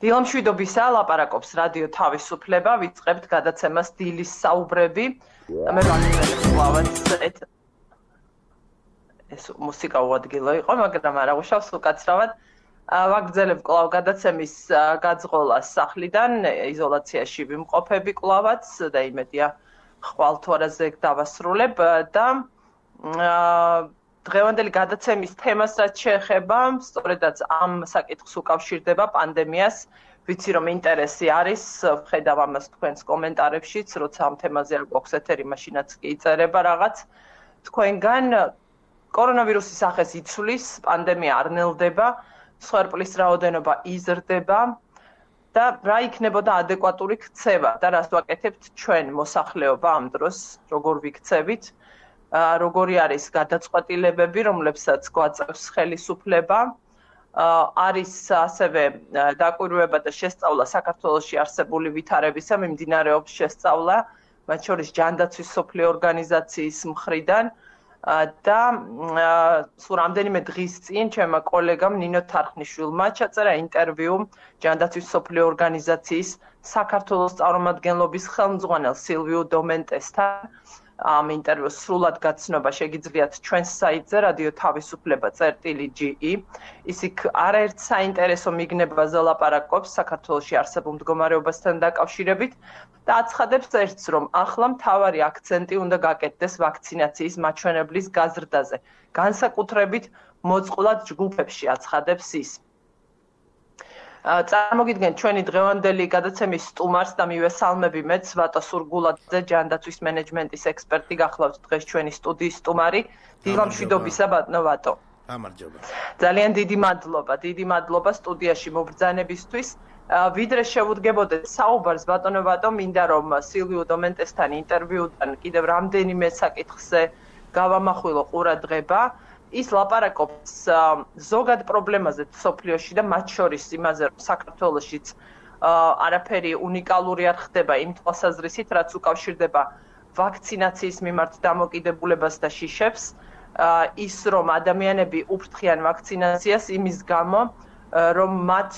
დილამშვიდობისა ლაპარაკობს რადიო თავისუფლება, ვიწყებთ გადაცემას დილის საუბრები. მე ვარ ეს მუსიკა უადგილო იყო, მაგრამ არა უშავს უკაცრავად. ვაგრძელებ კვლავ გადაცემის გაძღოლას სახლიდან, იზოლაციაში ვიმყოფები კვლავაც და იმედია ხვალთვარაზე დავასრულებ და დღევანდელი გადაცემის თემას რაც შეეხება, სწორედაც ამ საკითხს უკავშირდება პანდემიას. ვიცი რომ ინტერესი არის, ვხედავ ამას თქვენს კომენტარებშიც, როცა ამ თემაზე არ გვაქვს ეთერი, მაშინაც კი იწერება რაღაც. თქვენგან კორონავირუსის სახეს იცვლის, პანდემია არ ნელდება, მსხვერპლის რაოდენობა იზრდება და რა იქნებოდა ადეკვატური ქცევა და რას ვაკეთებთ ჩვენ მოსახლეობა ამ დროს, როგორ ვიქცევით, როგორი არის გადაწყვეტილებები, რომლებსაც გვაწევს ხელისუფლება, არის ასევე დაკვირვება და შესწავლა საქართველოში არსებული ვითარებისა, მიმდინარეობს შესწავლა, მათ შორის ჯანდაცვის მსოფლიო ორგანიზაციის მხრიდან და სულ რამდენიმე დღის წინ ჩემმა კოლეგამ ნინო თარხნიშვილმა ჩაწერა ინტერვიუ ჯანდაცვის მსოფლიო ორგანიზაციის საქართველოს წარმომადგენლობის ხელმძღვანელ სილვიუ დომენტესთან. ამ ინტერვიუს სრულად გაცნობა შეგიძლიათ ჩვენს საიტზე რადიო თავისუფლება.ge. ის იქ არაერთ საინტერესო მიგნებაზე ლაპარაკობს საქართველოში არსებულ მდგომარეობასთან დაკავშირებით და აცხადებს ერთს, რომ ახლა მთავარი აქცენტი უნდა გაკეთდეს ვაქცინაციის მაჩვენებლის გაზრდაზე, განსაკუთრებით მოწყვლად ჯგუფებში აცხადებს ის. წარმოგიდგენთ ჩვენი დღევანდელი გადაცემის სტუმარს და მივესალმები მეც ვატო სურგულაძე, ჯანდაცვის მენეჯმენტის ექსპერტი, გახლავთ დღეს ჩვენი სტუდიის სტუმარი. დილამშვიდობისა ბატონო ვატო. გამარჯობა. ძალიან დიდი მადლობა სტუდიაში მობრძანებისთვის. ვიდრე შევუდგებოდეთ საუბარს ბატონო ვატო, მინდა რომ სილვიუ დომენტესთან ინტერვიუდან კიდევ რამდენიმე საკითხზე გავამახვილო ყურადღება. ის ლაპარაკობს ზოგად პრობლემაზე მსოფლიოში და მათ შორის იმაზე, რომ საქართველოშიც არაფერი უნიკალური არ ხდება იმ თვალსაზრისით, რაც უკავშირდება ვაქცინაციის მიმართ დამოკიდებულებას და შიშებს, ის რომ ადამიანები უფრთხიან ვაქცინაციას იმის გამო, რომ მათ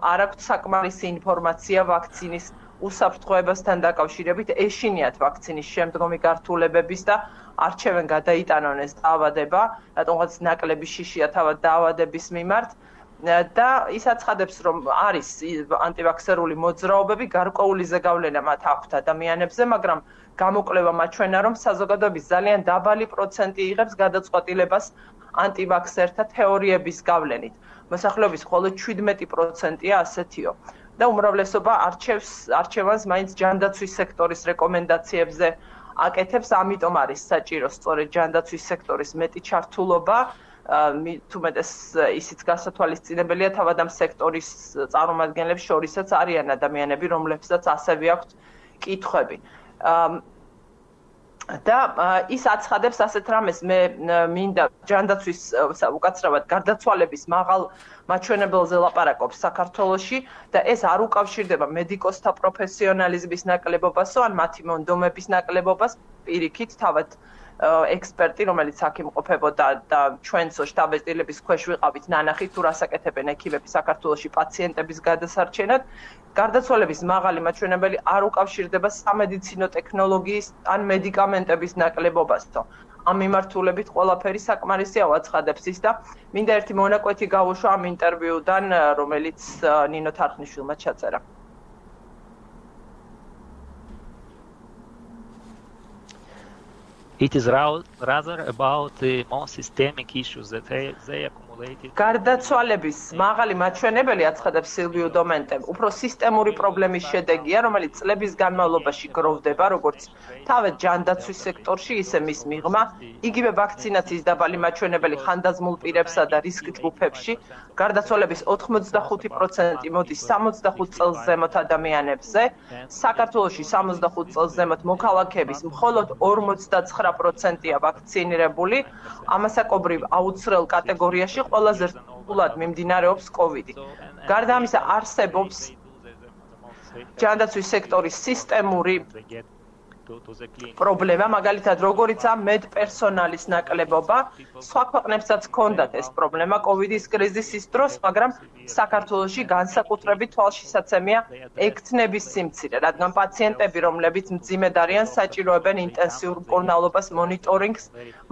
არ აქვთ საკმარისი ინფორმაცია ვაქცინის უსაფრთხოებასთან დაკავშირებით, ეშინიათ ვაქცინის შემდგომი გართულებების და არჩევენ გადაიტანონ ეს დაავადება, რატომღაც ნაკლები შიშია თავად დაავადების მიმართ და ის აცხადებს, რომ არის ანტივაქსერული მოძრაობები, გარკვეული ზეგავლენა მათ აქვთ ადამიანებზე, მაგრამ გამოკვლევა მაჩვენა, რომ საზოგადოების ძალიან დაბალი პროცენტი იღებს გადაწყვეტილებას ანტივაქსერთა თეორიების გავლენით. მოსახლეობის მხოლოდ 17%-ია ასეთიო. და უმრავლესობა არჩევანს მაინც ჯანდაცვის სექტორის რეკომენდაციებზე აკეთებს, ამიტომ არის საჭირო სწორედ ჯანდაცვის სექტორის მეტი ჩართულობა, თუმეტეს ისიც გასათვალისწინებელია თავად ამ სექტორის წარმომადგენლებს შორისაც არიან ადამიანები, რომლებსაც ასევე აქვთ კითხვები. და ის აცხადებს ასეთ რამეს, მე მინდა ჯანდაცვის უკაცრავად გარდაცვალების მაღალ მაჩვენებელზე ლაპარაკობს საქართველოში და ეს არ უკავშირდება მედიკოსთა პროფესიონალიზმის ნაკლებობასო ან მათი მონდომების ნაკლებობას, პირიქით თავად ექსპერტი, რომელიც აქ იმყოფებოდა და ჩვენსო შტაბ-ეწილების ქვეშ ვიყავით ნანახი, თუ რას აკეთებენ ექიმები საქართველოში პაციენტების გადასარჩენად. გარდაცვალების მაღალი მაჩვენებელი არ უკავშირდება სამედიცინო ტექნოლოგიის ან მედიკამენტების ნაკლებობასო. ამ მიმართულებით ყველაფერი საკმარისია აცხადებს ის და მინდა ერთი მონაკვეთი გავუშვა ამ ინტერვიუდან, რომელიც ნინო თარხნიშვილმა ჩაწერა. It is rather about the more systemic issues that they accumulated. გარდაცვალების მაღალი მაჩვენებელი აცხადებს სილვიუ დომენტემ, უფრო სისტემური პრობლემის შედეგია, რომელიც წლების განმავლობაში გროვდება, როგორც თავად ჯანდაცვის სექტორში, ისე მის მიღმა, იგივე ვაქცინაციის დაბალი მაჩვენებელი ხანდაზმულ პირებსა და რისკ ჯგუფებში, გარდაცვალების 85% მოდის 65 წელს ზემოთ ადამიანებზე, საქართველოში 65 წელს ზემოთ მოქალაქეების მხოლოდ 49%-ია ვაქცინირებული, ამასაკობრივ აუცილებლ კატეგორიაში ყველაზე რთულად მიმდინარეობს COVID-ი. გარდა ამისა არსებობს ჯანდაცვის სექტორის სისტემური პრობლემა, მაგალითად, როგორიცაა მედპერსონალის ნაკლებობა, სხვა ქვეყნებსაც ჰქონდათ ეს პრობლემა COVID-ის კრიზისის დროს, მაგრამ საქართველოში განსაკუთრებით თვალშისაცემია ექთნების სიმცირე, რადგან პაციენტები, რომლებიც მძიმედ არიან, საჭიროებენ ინტენსიურ მკურნალობას, მონიტორინგს,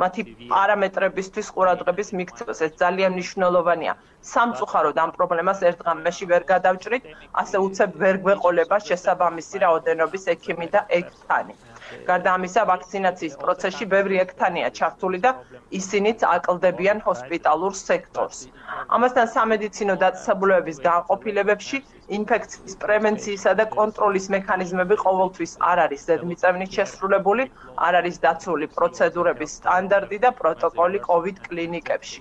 მათი პარამეტრებისთვის ყურადღების მიქცევას. ეს ძალიან მნიშვნელოვანია. სამწუხაროდ ამ პრობლემას ერთ ღამეში ვერ გადავჭრით, ასე უცებ ვერ გვეყოლება შესაბამისი რაოდენობის ექიმი და ექთანი. გარდა ამისა, ვაქცინაციის პროცესში ბევრი ექთანია ჩართული და ისინიც აკლდებიან ჰოსპიტალურ სექტორს. ამასთან სამედიცინო დაწესებულებების განყოფილებებში ინფექციის პრევენციისა და კონტროლის მექანიზმები ყოველთვის არ არის ზედმიწევნით შესრულებული, არ არის დაცული პროცედურების სტანდარტი და პროტოკოლი COVID კლინიკებში.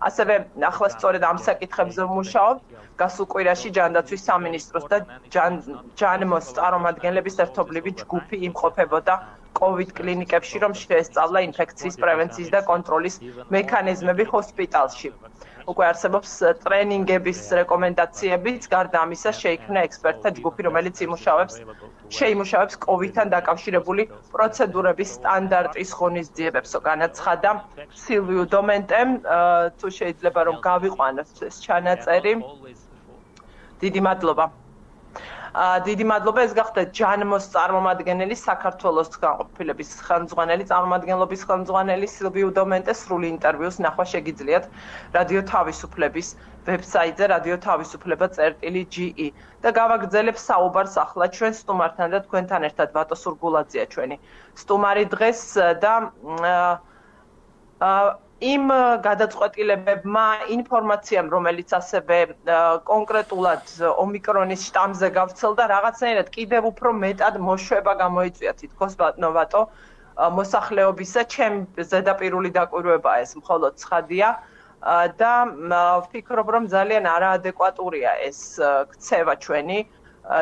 ასევე ახლა სწორედ ამ საკითხებზე ვმუშაობ. გასულ კვირაში ჯანდაცვის სამინისტროს და ჯანმოს წარმომადგენლების ერთობლივი ჯგუფი იმყოფებოდა COVID კლინიკებში, რომ შეესწავლა ინფექციის პრევენციის და კონტროლის მექანიზმები ჰოსპიტალში. უკვე არსებობს ტრენინგების რეკომენდაციებიც, გარდა ამისა შეიქმნა ექსპერტთა ჯგუფი, რომელიც შეიმუშავებს COVID-თან დაკავშირებული პროცედურების სტანდარტის ღონისძიებებს. განაცხადა სილვიუ დომენტემ, თუ შეიძლება რომ გავიყვანოთ ეს ჩანაწერი. დიდი მადლობა. დიდი მადლობა, ეს გახდა ჯანმოს წარმომადგენელი, საქართველოს განყოფილების ხელმძღვანელი, წარმომადგენლობის ხელმძღვანელი სილვიუ დომენტე. სრული ინტერვიუს ნახვა შეგიძლიათ რადიო თავისუფლების ვებსაიტზე radio-თავისუფლება.ge და გავაგრძელებ საუბარს ახლა ჩვენ სტუმართან და თქვენთან ერთად ვატო სურგულაძეა ჩვენი სტუმარი დღეს და იმ გადაწყვეტილებებმა, ინფორმაციამ, რომელიც ასევე კონკრეტულად ომიკრონის შტამზე გავრცელდა, რაღაცნაირად კიდევ უფრო მეტად მოშვება გამოიწვია თითქოს ბატონო მოსახლეობისა. ჩემი ზედაპირული დაკვირვებაა ეს მხოლოდ ცხადია და ვფიქრობ, რომ ძალიან არაადეკვატურია ეს ქცევა ჩვენი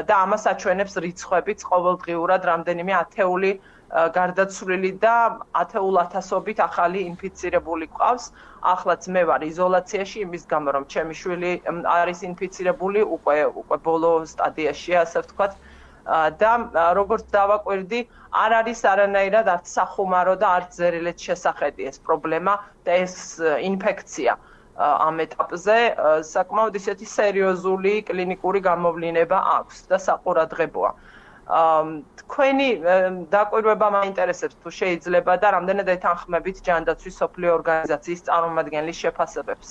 და ამას აჩვენებს რიცხვებიც ყოველდღიურად რამდენიმე ათეული გარდაცვლილი და ათეულ ათასობით ახალი ინფიცირებული ყავს. ახლაც მე ვარ იზოლაციაში იმის გამო, რომ ჩემი შვილი არის ინფიცირებული, უკვე ბოლო სტადიაშია, ასე ვთქვათ. და როგორც დავაკვირდი, არ არის არანაირად არც სახუმარო და არც ზერილეთ შესახედი ეს პრობლემა და ეს ინფექცია ამ ეტაპზე საკმაოდ ისეთი სერიოზული კლინიკური გამოვლინება აქვს და საყურადღებოა. თქვენი დაკვირვება მაინტერესებს თუ შეიძლება და რამდენად ეთანხმებით ჯანდაცვის სოფლიო ორგანიზაციის წარმომადგენლის შეფასებებს.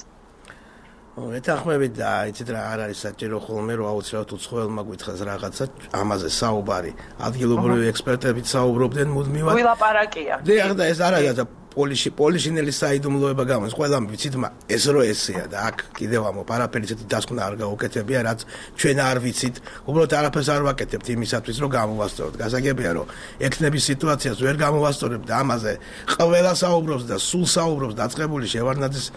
ეთანხმებით და იცით რა არ არის საჭირო ხოლმე რომ აუცილებლად უცხოელმა გითხრას რაღაცა ამაზე საუბარი. ადგილობრივი ექსპერტებიც საუბრობდნენ მუდმივად. ვილაპარაკია. დიახ და ეს არ არის პოლიშინელის საიდუმლოება გამოდის. ყველამ ვიცით, ეს რო ესეა და აქ კიდევ ამო არაფერი ისეთი დასკვნა არ გაუკეთებია, რაც ჩვენ არ ვიცით. უბრალოდ არაფერს არ ვაკეთებთ იმისათვის, რომ გამოვასწოროთ. გასაგებია, რომ ექნების სიტუაციას ვერ გამოვასწორებთ და ამაზე ყველა საუბრობს და სულ საუბრობს დაწყებული შევარდნაძის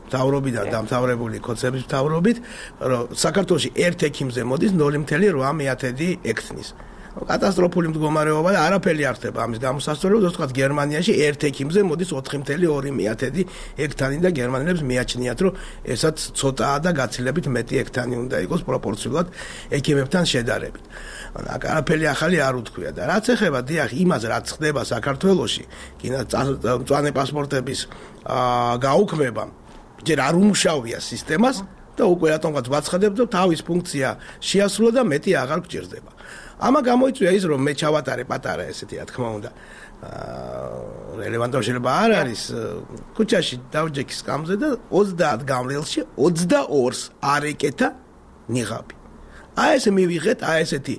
მთავრობიდან დამთავრებული ქოცების მთავრობით, რომ საქართველოში ერთ ექიმზე მოდის 0.8 ექთნის. კატასტროფული მდგომარეობა და არაფერი არ ხდება ამის გამოსასწორებლად, თქო გერმანიაში ერთ ექიმზე მოდის 4.2 ექთანი და გერმანელებს მიაჩნიათ, რომ ესაც ცოტაა და გაცილებით მეტი ექთანი უნდა იყოს პროპორციულად ექიმებთან შედარებით. არაფერი ახალი არ უთქვია და რაც ეხება დიახ იმას რაც ხდება საქართველოში, მწვანე პასპორტების გაუქმება ჯერ არ უმუშავია სისტემას და უკვე რატომღაც ვაცხადებ და თავის ფუნქცია შეასრულა და მეტი აღარ გჭირდება. ამა გამოიწვია ის რომ მე ჩავატარე პატარა ესეთი რა თქმა უნდა რელევანტური შეიძლება არ არის ქუჩაში დავჯექი სკამზე და 30 გამრიელში 22-ს არ ეკეთა ნიღაბი. ეს მივიღეთ ესეთი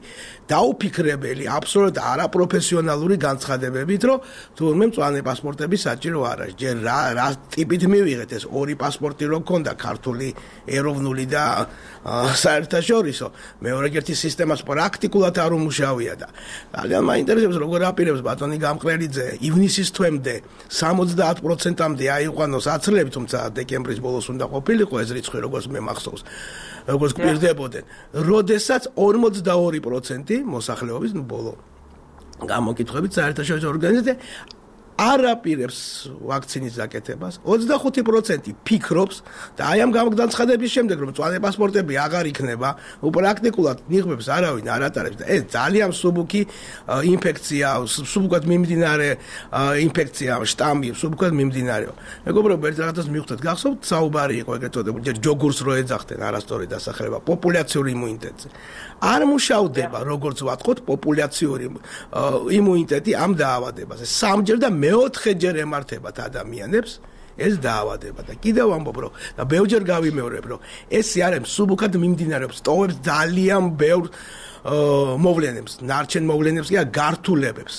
დაუფიქრებელი აბსოლუტურად არაპროფესიონალური განცხადებებით, რომ თურმე მწვანე პასპორტები საჭირო არ არის. ჯერ რა ტიპით მივიღეთ ეს ორი პასპორტი რო გქონდა, ქართული, ეროვნული და საერთაშორისო. მეორეგერთი სისტემას პრაქტიკულად არ უმუშავია და ძალიან მაინტერესებს როგორ აპირებს ბატონი გამყრელიძე ივნისის თვემდე 70%-მდე აიყვანოს აცლები, თუმცა დეკემბრის ბოლოს უნდა ყოფილიყო ეს რიცხვი როგორც მე მახსოვს. როგორც გვირდებოდნენ, როდესაც 42% მოსახლეობის ბოლო გამოკითხვებით საერთაშორისო ორგანიზაცია არ აპირებს ვაქცინის გაკეთებას, 25% ფიქრობს და აი ამ განცხადების შემდეგ რომ მწვანე პასპორტები აღარ იქნება, პრაქტიკულად ნიღბებს არავინ არ ატარებს და ეს ძალიან მსუბუქი ინფექცია, მსუბუქად მიმდინარე ინფექცია, შტამი, მსუბუქად მიმდინარეო. მეგობრებო, ერთ რაღაცას მივხვდეთ, გახსოვთ, საუბარი იყო ეგრეთ წოდებული, ჯერ ჯოგურს რო ეძახდნენ არასწორი დასახელება, პოპულაციური იმუნიტეტზე. არ მუშავდება, როგორც ვატყოთ, პოპულაციური იმუნიტეტი ამ დაავადებაზე. სამჯერ და მეოთხეჯერ ემართებათ ადამიანებს ეს დაავადება და კიდევ ამბობ რომ და ბევრჯერ გავიმეორებ რომ ეს არის მსუბუქად მიმდინარეობს, ტოვებს ძალიან ბევრ მოვლენებს, ნარჩენ მოვლენებს კი გართულებებს.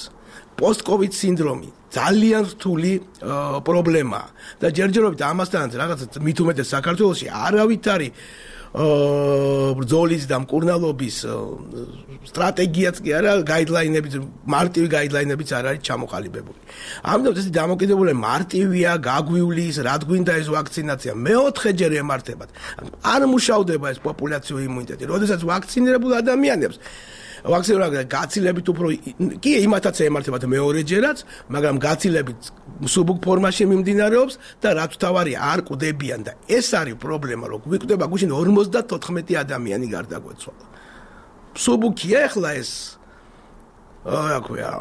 პოსტ-კოვიდ სინდრომი ძალიან რთული პრობლემაა და ჯერჯერობით ამასთანაც რაღაცა მით უმეტეს საქართველოში არავით არის ბრძოლის და მკურნალობის სტრატეგიაც კი არა, გაიდლაინებიც, მარტივი გაიდლაინებიც არ არის ჩამოყალიბებული. ამიტომ ეს დამოკიდებული მარტივია, გაგვივლის, რად გვინდა ეს ვაქცინაცია, მეოთხეჯერ ემართებათ. არ მუშავდება ეს პოპულაციური იმუნიტეტი. როდესაც ვაქცინირებულ ადამიანებს ვაქცინირება გაცილებით უფრო კი იმათაც ემართებათ მეორეჯერაც, მაგრამ გაცილებით მსუბუქ ფორმაში მიმდინარეობს და რაც თავარია არ კვდებიან და ეს არის პრობლემა, რომ გვიკვდება გუშინ 54 ადამიანი გარდაგვეცვალა. მსუბუქია ახლა ეს რა ქვია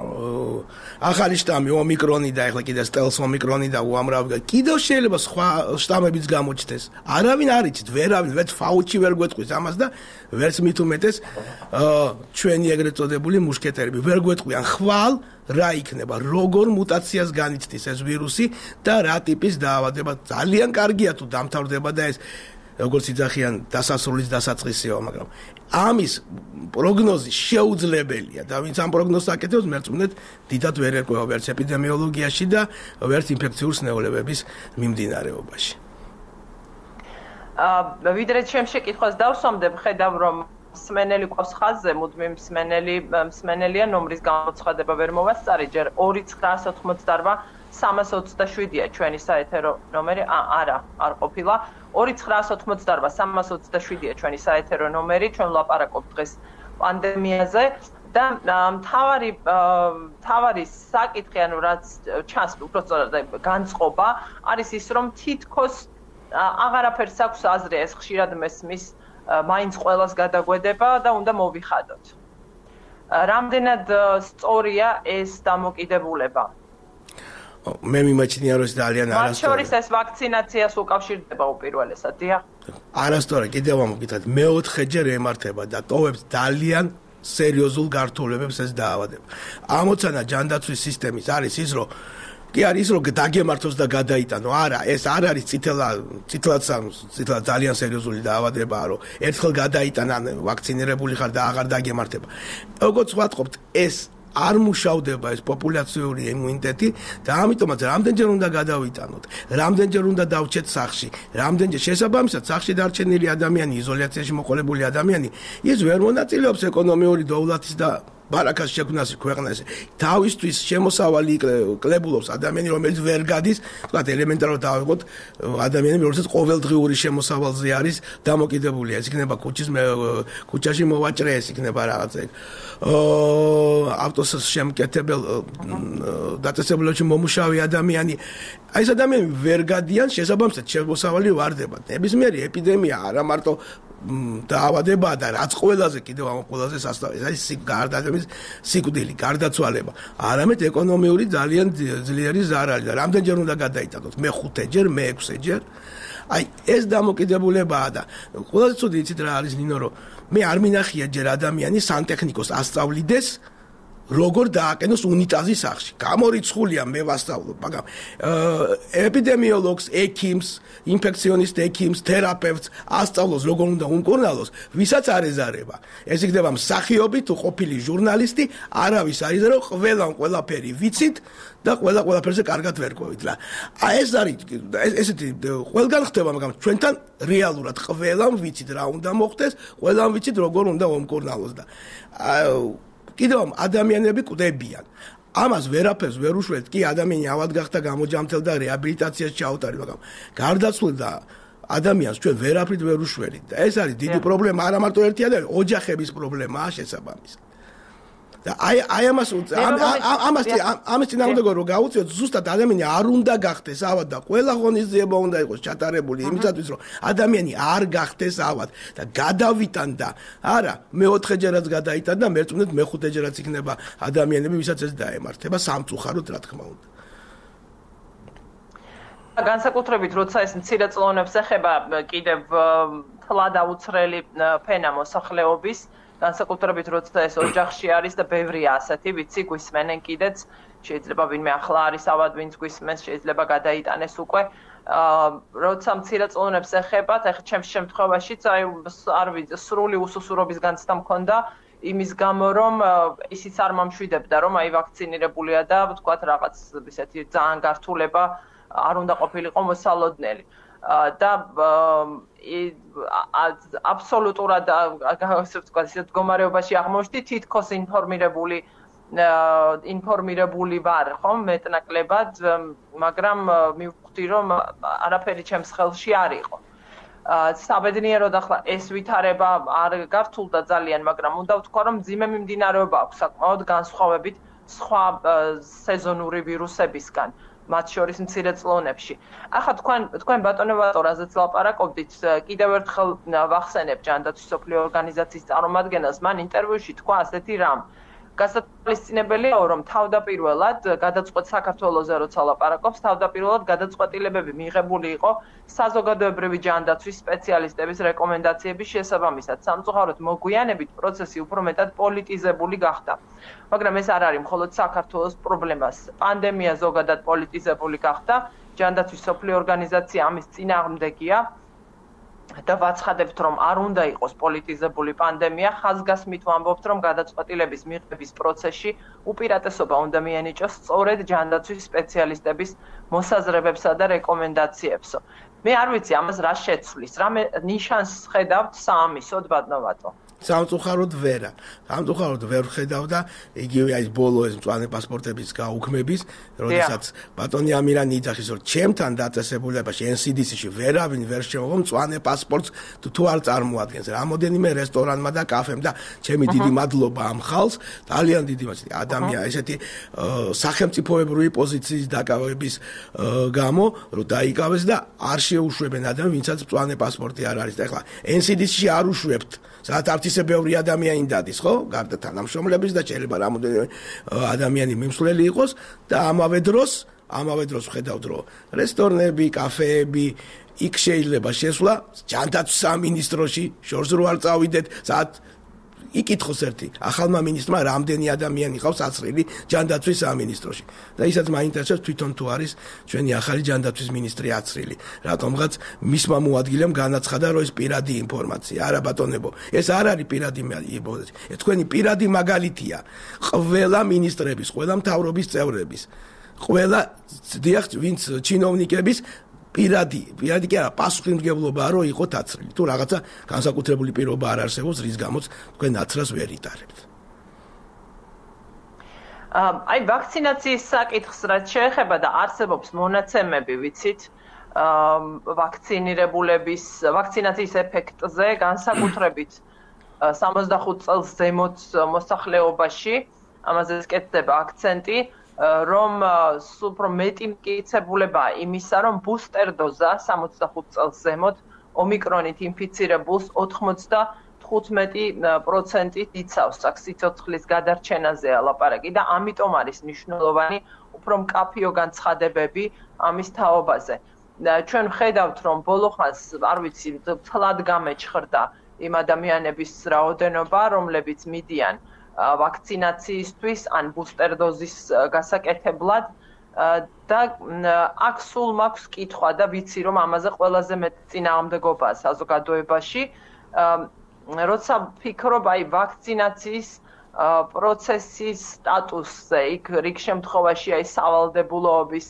ახალი შტამი ომიკრონი და ახლა კიდე სტელს ომიკრონი და უამრავი კიდევ შეიძლება სხვა შტამებიც გამოჩნდეს. არავინ არ იცით, ვერავინ, ვერც ფაუჩი ვერ გვეტყვის ამას და ვერც მით უმეტეს ჩვენი ეგრეთ წოდებული მუშკეტერები ვერ გვეტყვიან ხვალ რა იქნება, როგორ მუტაციას განიცდის ეს ვირუსი და რა ტიპის დაავადება. ძალიან კარგია თუ დამთავრდება და ეს როგორც იძახიან დასასრულის დასაწყისია, მაგრამ ამის პროგნოზი შეუძლებელია და ვინც ამ პროგნოზს აკეთებს, მერწმუნეთ, დიდად ვერ ერკვევა ვერც ეპიდემიოლოგიაში და ვერც ინფექციური სნეულებების მიმდინარეობაში. ვიდრე ჩემ შეკითხვას დავსვამდებ, ხედავ რომ მსმენელი ყავს ხაზზე, მუდმივ მსმენელია ნომრის გამოცხადება ვერ მოვასწარი, ჯერ 2988 327-ია ჩვენი საეთერო ნომერი, არა, არ ყოფილა. 2988 327-ია ჩვენი საეთერო ნომერი, ჩვენ ვლაპარაკობთ დღეს პანდემიაზე და მთავარი საკითხი, ანუ რაც ჩანს, უბრალოდ განწყობა, არის ის, რომ თითქოს აღარაფერს აქვს აზრი, ეს ხშირად მესმის, მაინც ყველას გადაგვედება და უნდა მოვიხადოთ. რამდენად სწორია ეს დამოკიდებულება? მე მიმაჩნია რომ ეს ძალიან არასწორია. მათ შორის ეს ვაქცინაციას უკავშირდება უპირველესად, დიახ. არასწორია, კიდევ ამოგითხრათ, მეოთხეჯერ ემართება და ტოვებს ძალიან სერიოზულ გართულებებს ეს დაავადება. ამოცანა ჯანდაცვის სისტემის არის ის, რომ კი არის ის, რომ დაგემართოს და გადაიტანო. არა, ეს არ არის წითლად ძალიან სერიოზული დაავადებაა, რომ ერთხელ გადაიტანა ვაქცინირებული ხარ და აღარ დაგემართება. როგორც ვატყობთ, ეს არ მუშავდება ეს პოპულაციური იმუნიტეტი და ამიტომაც რამდენჯერ უნდა გადავიტანოთ, რამდენჯერ უნდა დავჩეთ სახლში, რამდენჯერ შესაბამისად სახლში დარჩენილი ადამიანი, იზოლაციაში მოყოლებული ადამიანი, ის ვერ მონაწილეობს ეკონომიური დოვლათის და ბარაკას შექმნაში ქვეყანაში. თავისთვის შემოსავალი კლებულობს ადამიანი, რომელიც ვერ გადის, თქვა ელემენტარულად დავიღოთ ადამიანები, რომელსაც ყოველდღიური შემოსავალზე არის დამოკიდებული. ეს იქნება ქუჩაში მოვაჭრე, ეს იქნება რაღაცა ავტოს შემკეთებელ დაწესებულებაში მომუშავე ადამიანი. აი ეს ადამიანები ვერ გადიან, შესაბამისად შემოსავალი ვარდება. ნებისმიერი ეპიდემია არა მარტო დაავადებაა და რაც ყველაზე კიდევ ამ ყველაზე სასწაული არის ადამიანის სიკვდილი, გარდაცვალება. არამედ ეკონომიური ძალიან ძლიერი ზარალი და რამდენჯერ უნდა გადაიტანოთ? მე-5-ჯერ, მე-6-ჯერ. აი ეს დამოკიდებულებაა და ყველაზე ცუდი იცით რა არის ნინო, რომ მე არ მინახია ჯერ ადამიანი სანტექნიკოს ასწავლიდეს როგორ დააკენოს უნიტაზი სახლში. გამორიცხულია მე ვასწავლობ, მაგრამ ეპიდემიოლოგს, ექიმს, ინფექციონისტ ექიმს, თერაპევტს ასწავლოს როგორ უნდა უმკურნალოს, ვისაც არ ეზარება. ეს იქნება მსახიობი თუ ყოფილი ჟურნალისტი, არავის არ იზარო, ყველაფერი ვიცით და ყველაფერზე კარგად ვერ ყვევით რა. ეს არის ესეთი ყველგან ხდება, მაგრამ ჩვენთან რეალურად ყველამ ვიცით რა უნდა მოხდეს, ყველამ ვიცით როგორ უნდა უმკურნალოს და კიდევ ადამიანები კვდებიან. ამას ვერაფერს ვერ უშველთ, კი ადამიანი ავად გახდა გამოჯამთელ და რეაბილიტაციას ჩაუტარეთ, მაგრამ გარდაცვლილ და ადამიანს ჩვენ ვერაფრით ვერ უშველით და ეს არის დიდი პრობლემა, არა მარტო ერთი ადამიანი, ოჯახების პრობლემაა შესაბამისად. და აი ამას წინააღმდეგო რომ გაუწიოთ ზუსტად ადამიანი არ უნდა გახდეს ავად და ყველა ღონისძიება უნდა იყოს ჩატარებული იმისათვის რომ ადამიანი არ გახდეს ავად და გადავიტან და არა მეოთხეჯერაც გადაიტან და მერწმუნეთ მეხუთეჯერაც იქნება ადამიანები ვისაც ეს დაემართება სამწუხაროდ რა თქმა უნდა განსაკუთრებით როცა ეს მცირე წლოვნებს ეხება კიდევ თლად აუცრელი ფენა მოსახლეობის განსაკუთრებით როცა ეს ოჯახში არის და ბევრია ასეთი ვიცი გვისმენენ კიდეც შეიძლება ვინმე ახლა არის ავად ვინც გვისმენს შეიძლება გადაიტანეს უკვე როცა მცირე წლოვნებს ეხებათ ახლა ჩემს შემთხვევაშიც აი არ ვიცი სრული უსუსურობის განცდა მქონდა იმის გამო რომ ისიც არ მომშვიდებდა რომ აი ვაქცინირებულია და ვთქვათ რაღაც ისეთი ძალიან გართულება არ უნდა ყოფილიყო მოსალოდნელი და აბსოლუტურად ასე ვთქვათ ისეთ მდგომარეობაში აღმოჩნდი თითქოს ინფორმირებული ვარ ხომ მეტნაკლებად მაგრამ მივხვდი რომ არაფერი ჩემს ხელში არ იყო საბედნიეროდ ახლა ეს ვითარება არ გართულდა ძალიან მაგრამ უნდა ვთქვა რომ მძიმე მიმდინარეობა აქვს საკმაოდ განსხვავებით სხვა სეზონური ვირუსებისგან მათ შორის მცირე წლოვნებში. ახლა თქვენ ბატონო რაზეც ლაპარაკობდით, კიდევ ერთხელ ვახსენებ ჯანდაცვის სოფლიო ორგანიზაციის წარმომადგენელს, მან ინტერვიუში თქვა ასეთი რამ. გასათვალისწინებელია, რომ თავდაპირველად გადაწყვეტ საქართველოზე როცა ლაპარაკობს, თავდაპირველად გადაწყვეტილებები მიღებული იყო საზოგადოებრივი ჯანდაცვის სპეციალისტების რეკომენდაციების შესაბამისად. სამწუხაროდ მოგვიანებით პროცესი უფრო მეტად პოლიტიზებული გახდა. მაგრამ ეს არ არის მხოლოდ საქართველოს პრობლემა. პანდემია ზოგადად პოლიტიზებული გახდა. ჯანდაცვის სოფლიო ორგანიზაცია ამის წინააღმდეგია. და ვაცხადებთ რომ არ უნდა იყოს პოლიტიზებული პანდემია, ხაზგასმით ვამბობთ რომ გადაწყვეტილების მიღების პროცესში უპირატესობა უნდა მიენიჭოს სწორედ ჯანდაცვის სპეციალისტების მოსაზრებებსა და რეკომენდაციებსო. მე არ ვიცი ამას რა შეცვლის, რა ნიშანს ხედავთ საამისოდ ბატონო? სამწუხაროდ ვერა. სამწუხაროდ ვერ ხედავ და იგივე აი ბოლო ეს მწვანე პასპორტების გაუქმების, როდესაც ბატონი ამირანი იძახის რომ ჩემთან დაწესებულებაში NCDC-ში ვერავინ ვერ შემოვა მწვანე პასპორტს თუ არ წარმოადგენს. რამოდენიმე რესტორანმა და კაფემ და ჩემი დიდი მადლობა ამ ხალხს, ძალიან დიდი მადლობა ადამიანი ესეთი სახელმწიფოებრივი პოზიციის დაკავების გამო რომ დაიკავეს და არ შეუშვებენ ადამიანს ვინცაც მწვანე პასპორტი არ არის. და ეხლა NCDC-ში არ უშვებთ. სადაც ისე ბევრი ადამიანი დადის, ხო? გარდა თანამშრომლების და შეიძლება რამოდენიმე ადამიანი მიმსვლელი იყოს და ამავე დროს ვხედავთ, რომ რესტორნები, კაფეები იქ შეიძლება შესვლა ჯანდაცვის სამინისტროში, შორს რო არ წავიდეთ, სადაც იკითხოს ერთი ახალმა მინისტრმა რამდენი ადამიანი ყავს აცრილი ჯანდაცვის სამინისტროში და ისაც მაინტერესებს თვითონ თუ არის ჩვენი ახალი ჯანდაცვის მინისტრი აცრილი რატომღაც მისმა მოადგილემ განაცხადა რომ ეს პირადი ინფორმაცია არა ბატონებო ეს არ არის პირადი ინფორმაცია ეს თქვენი პირადი მაგალითია ყველა მინისტრების ყველა მთავრობის წევრების ყველა დიახ ვინც ჩინოვნიკების პირადი კი არა პასუხისმგებლობაა რომ იყოთ აცრილი თუ რაღაცა განსაკუთრებული პირობა არ არსებობს რის გამოც თქვენ აცრას ვერ იტარებთ აი ვაქცინაციის საკითხს რაც შეეხება და არსებობს მონაცემები ვიცით ვაქცინირებულების ვაქცინაციის ეფექტზე განსაკუთრებით 65 წელს ზემოთ მოსახლეობაში ამაზე კეთდება აქცენტი რომ უფრო მეტი მტკიცებულება იმისა, რომ ბუსტერ დოზა 65 წელს ზემოთ ომიკრონით ინფიცირებულს 95% იცავს აქ სიცოცხლის გადარჩენაზეა ლაპარაკი და ამიტომ არის მნიშვნელოვანი უფრო მკაფიო განცხადებები ამის თაობაზე. ჩვენ ვხედავთ, რომ ბოლო ხანს, არ ვიცი, თლად გამეჩხრდა იმ ადამიანების რაოდენობა, რომლებიც მიდიან ვაქცინაციისთვის ან ბუსტერ დოზის გასაკეთებლად და აქ სულ მაქვს კითხვა და ვიცი რომ ამაზე ყველაზე მეტი წინააღმდეგობაა საზოგადოებაში როცა ვფიქრობ აი ვაქცინაციის პროცესის სტატუსზე იქ რიგ შემთხვევაში აი სავალდებულოების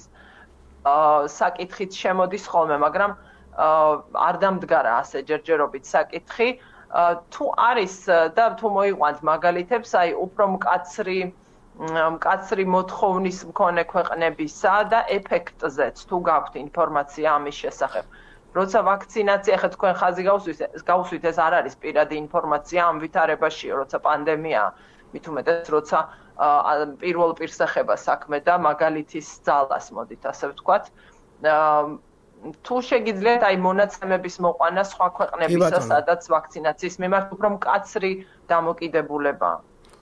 საკითხით შემოდის ხოლმე მაგრამ არ დამდგარა ასე ჯერჯერობით საკითხი თუ არის და თუ მოიყვანთ მაგალითებს, აი უფრო მკაცრი მოთხოვნის მქონე ქვეყნებისა და ეფექტზეც თუ გაქვთ ინფორმაცია ამის შესახებ. როცა ვაქცინაცია ხეთ თქვენ ხაზი გავუსვით ეს არ არის პირადი ინფორმაცია ამ ვითარებაში, როცა პანდემია მით უმეტეს როცა პირველ პირსახება საქმე და მაგალითის ძალას მოდით ასე ვთქვათ თუ შეგიძლიათ აი მონაცემების მოყვანა სხვა ქვეყნებისა სადაც ვაქცინაციის მიმართ უფრო მკაცრი დამოკიდებულებაა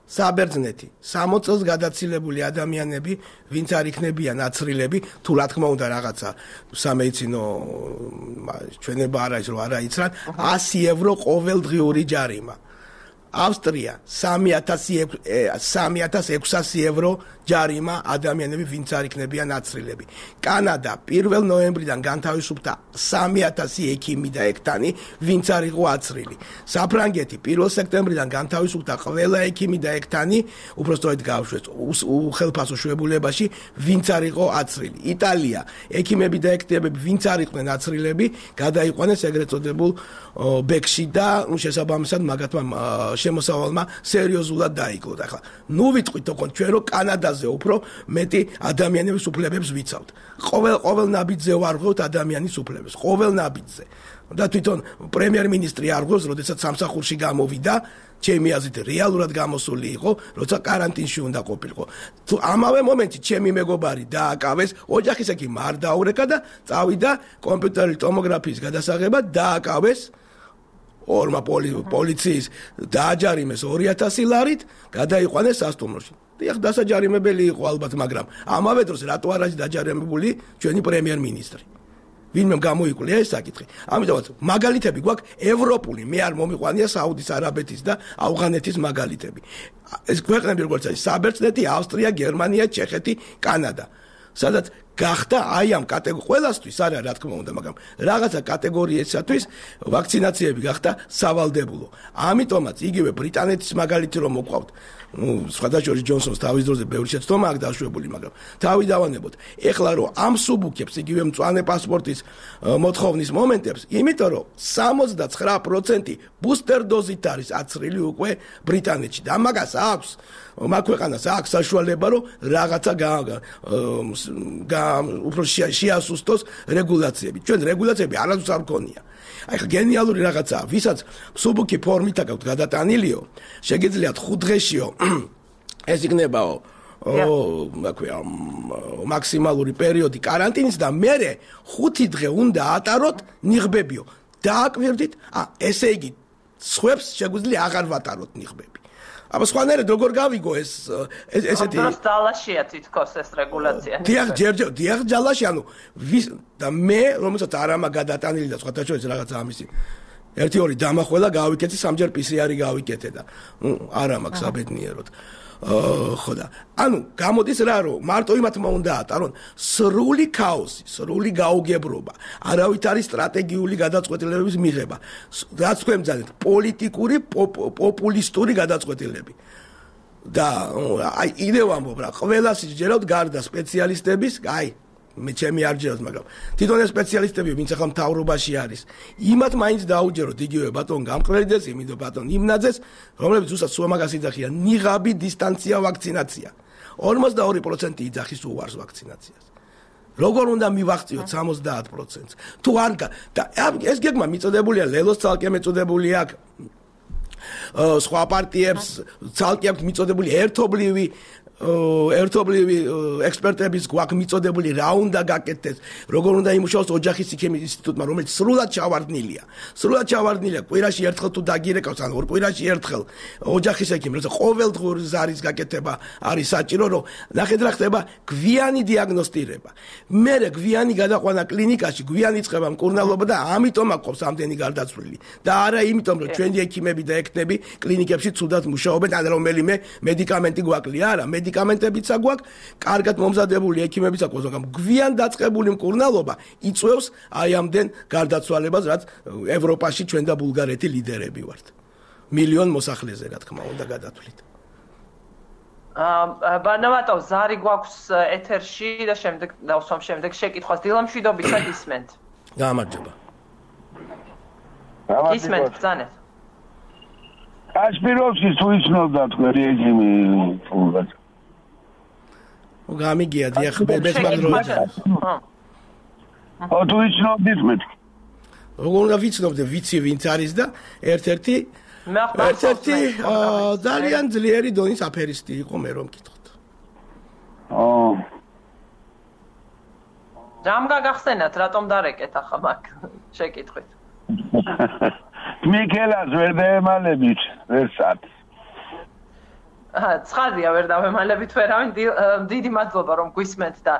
საბერძნეთი 60 წელს გადაცილებული ადამიანები ვინც არ იქნებიან აცრილები თუ რა თქმა უნდა რაღაცა სამედიცინო ჩვენება არ არის რომ არ აიცრან 100 евро ყოველდღიური ჯარიმა ავსტრია 3600 евро ჯარიმა ადამიანები ვინც არ იქნებიან აცრილები კანადა 1 ნოემბრიდან განთავისუფლდა 3000 ექიმი და ექთანი ვინც არ იყო აცრილი საფრანგეთი 1 სექტემბრიდან განთავისუფლდა ყველა ექიმი და ექთანი უბრალოდ გავშვეს უხელფასო შუებულებაში ვინც არ იყო აცრილი იტალია ექიმები და ექთანები ვინც არ იყვნენ აცრილები გადაიყვანეს ეგრეთ წოდებულ ბექში და შესაბამისად მაგათმა შემოსავალმა სერიოზულად დაიკლოთ ახლა ნუ ვიტყვით თქო ჩვენ რომ კანადაზე უფრო მეტი ადამიანების უფლებებს ვიცავთ ყოველ ნაბიჯზე ვარღვევთ ადამიანის უფლებებს ყოველ ნაბიჯზე და თვითონ პრემიერ-მინისტრი არღვევს როდესაც სამსახურში გამოვიდა ჩემი აზრით რეალურად გამოსული იყო როცა კარანტინში უნდა ყოფილიყო თუ ამავე მომენტში ჩემი მეგობარი დააკავეს ოჯახის ექიმი არ დაურეკა და წავიდა კომპიუტერული ტომოგრაფიის გადასაღებად დააკავეს ორმა პოლიციის დააჯარიმეს 2000 ლარით გადაიყვანეს სასტუმროში დიახ დასაჯარიმებელი იყო ალბათ მაგრამ ამავე დროს რატო არ არის დაჯარიმებული ჩვენი პრემიერ-მინისტრი ვინმე გამოიკვლია ეს საკითხი ამიტომაც მაგალითები გვაქვს ევროპული მე არ მომიყვანია საუდის არაბეთის და ავღანეთის მაგალითები ეს ქვეყნები როგორც არის საბერძნეთი ავსტრია გერმანია ჩეხეთი კანადა სადაც გახდა აი ამ ყველასთვის არა რა თქმა უნდა მაგრამ რაღაცა კატეგორიებისათვის ვაქცინაციები გახდა სავალდებულო ამიტომაც იგივე ბრიტანეთის მაგალითი რომ მოყვავთ სხვადასხვა ჯონსონს თავის დროზე ბევრი შეცდომა აქვს დაშვებული მაგრამ თავი დავანებოთ ეხლა რომ ამ სუბუქებს იგივე მწვანე პასპორტის მოთხოვნის მომენტებს იმიტომ რომ 69% ბუსტერ დოზით არის აცრილი უკვე ბრიტანეთში და მაგას აქვს მაგ ქვეყანას აქვს საშუალება რომ რაღაცა უფრო შეასუსტოს რეგულაციები ჩვენ რეგულაციები არასდროს არ გქონია აი ხა გენიალური რაღაცაა ვისაც სუბუქი ფორმით აქვს გადატანილიო შეგიძლიათ 5 დღეშიო ეს იქნებაო მაქსიმალური პერიოდი კარანტინის და მერე 5 დღე უნდა ატაროთ ნიღბებიო დააკვირდით ესე იგი სხვებს შეგვიძლია აღარ ვატაროთ ნიღბები აბა სხვანაირად როგორ გავიგო ესეთი დროს ძალაშია თითქოს ეს რეგულაცია დიახ ძალაში ანუ ვის და მე რომელსაც არ ამა გადატანილი და სხვათა შორის რაღაც ამისი 1-2 დამახველა გავიკეთე სამჯერ PCR გავიკეთე და არა მაქვს აბედნიეროდ ხო და ანუ გამოდის რა რომ მარტო იმათმა უნდა ატარონ სრული ქაოსი სრული გაუგებრობა არავით არის სტრატეგიული გადაწყვეტილებების მიღება რაც თქვენ ბრძანეთ პოლიტიკური პოპულისტური გადაწყვეტილები და აი იდეა ამბობ რა ყველას შეჯეროთ გარდა სპეციალისტების აი მე ჩემი არ ჯეროთ მაგრამ თვითონ ეს სპეციალისტები ვინც ახლა მთავრობაში არის იმათ მაინც დაუჯეროთ იგივე ბატონ გამყრელიძეს იმიდო ბატონ იმნაძეს რომლებიც უბრალოდ სულ მაგას იძახიან ნიღაბი დისტანცია ვაქცინაცია 42% იძახის უარს ვაქცინაციას როგორ უნდა მივაღწიოთ 70%-ს თუ არ და ეს გეგმა მიწოდებულია ლელოს ცალკე მეწოდებული აქვს სხვა პარტიებს ცალკე აქვს მიწოდებული ერთობლივი ექსპერტების გვაქვს მიწოდებული რა უნდა გაკეთდეს როგორ უნდა იმუშაოს ოჯახის იქიმიის ინსტიტუტმა რომელიც სრულად ჩავარდნილია კვირაში ერთხელ თუ დაგირეკავს ან ორ კვირაში ერთხელ ოჯახის ექიმი როცა ყოველდღიური ზარის გაკეთება არის საჭირო რომ ნახეთ რა ხდება გვიანი დიაგნოსტირება მერე გვიანი გადაყვანა კლინიკაში გვიანი იწყება მკურნალობა და ამიტომ აქვს ამდენი გარდაცვლილი და არა იმიტომ რომ ჩვენი ექიმები და ექთები კლინიკებში ცუდად მუშაობენ ან რომელიმე მედიკამენტი გვაკლია არა მედიკამენტებიც აგვაქვს, კარგად მომზადებული ექიმებიც აგვაქვს, მაგრამ გვიან დაწყებული მკურნალობა იწვევს აი ამდენ გარდაცვალებას, რაც ევროპაში ჩვენ და ბულგარეთი ლიდერები ვართ. მილიონ მოსახლეზე, რა თქმა უნდა, გადათვლით. ბანავატო, ზარი გვაქვს ეთერში და შემდეგ დავსვამ შემდეგ შეკითხვას. დილამშვიდობისა გისმენთ. გამარჯობა. გისმენთ, ბრძანეთ. კაშპიროვსკი თუ იცნობდა თქვენი ექიმი ფულად. გამიგია დიახ ბებესმაგროჯა. თუ იცნობდით მე. როგორ უნდა ვიცნობდე ვიცი ვინც არის და ერთ-ერთი ერთ-ერთი ძალიან ძლიერი დონის აფერისტი იყო მე რომ მკითხოთ. რამ გაგახსენათ, რატომ დარეკეთ ახლა მაგ შეკითხვით? მიქელას ვერ დაემალებით, ვერსად. ცხადია ვერ დავემალებით ვერავინ, დიდი მადლობა რომ გვისმენთ და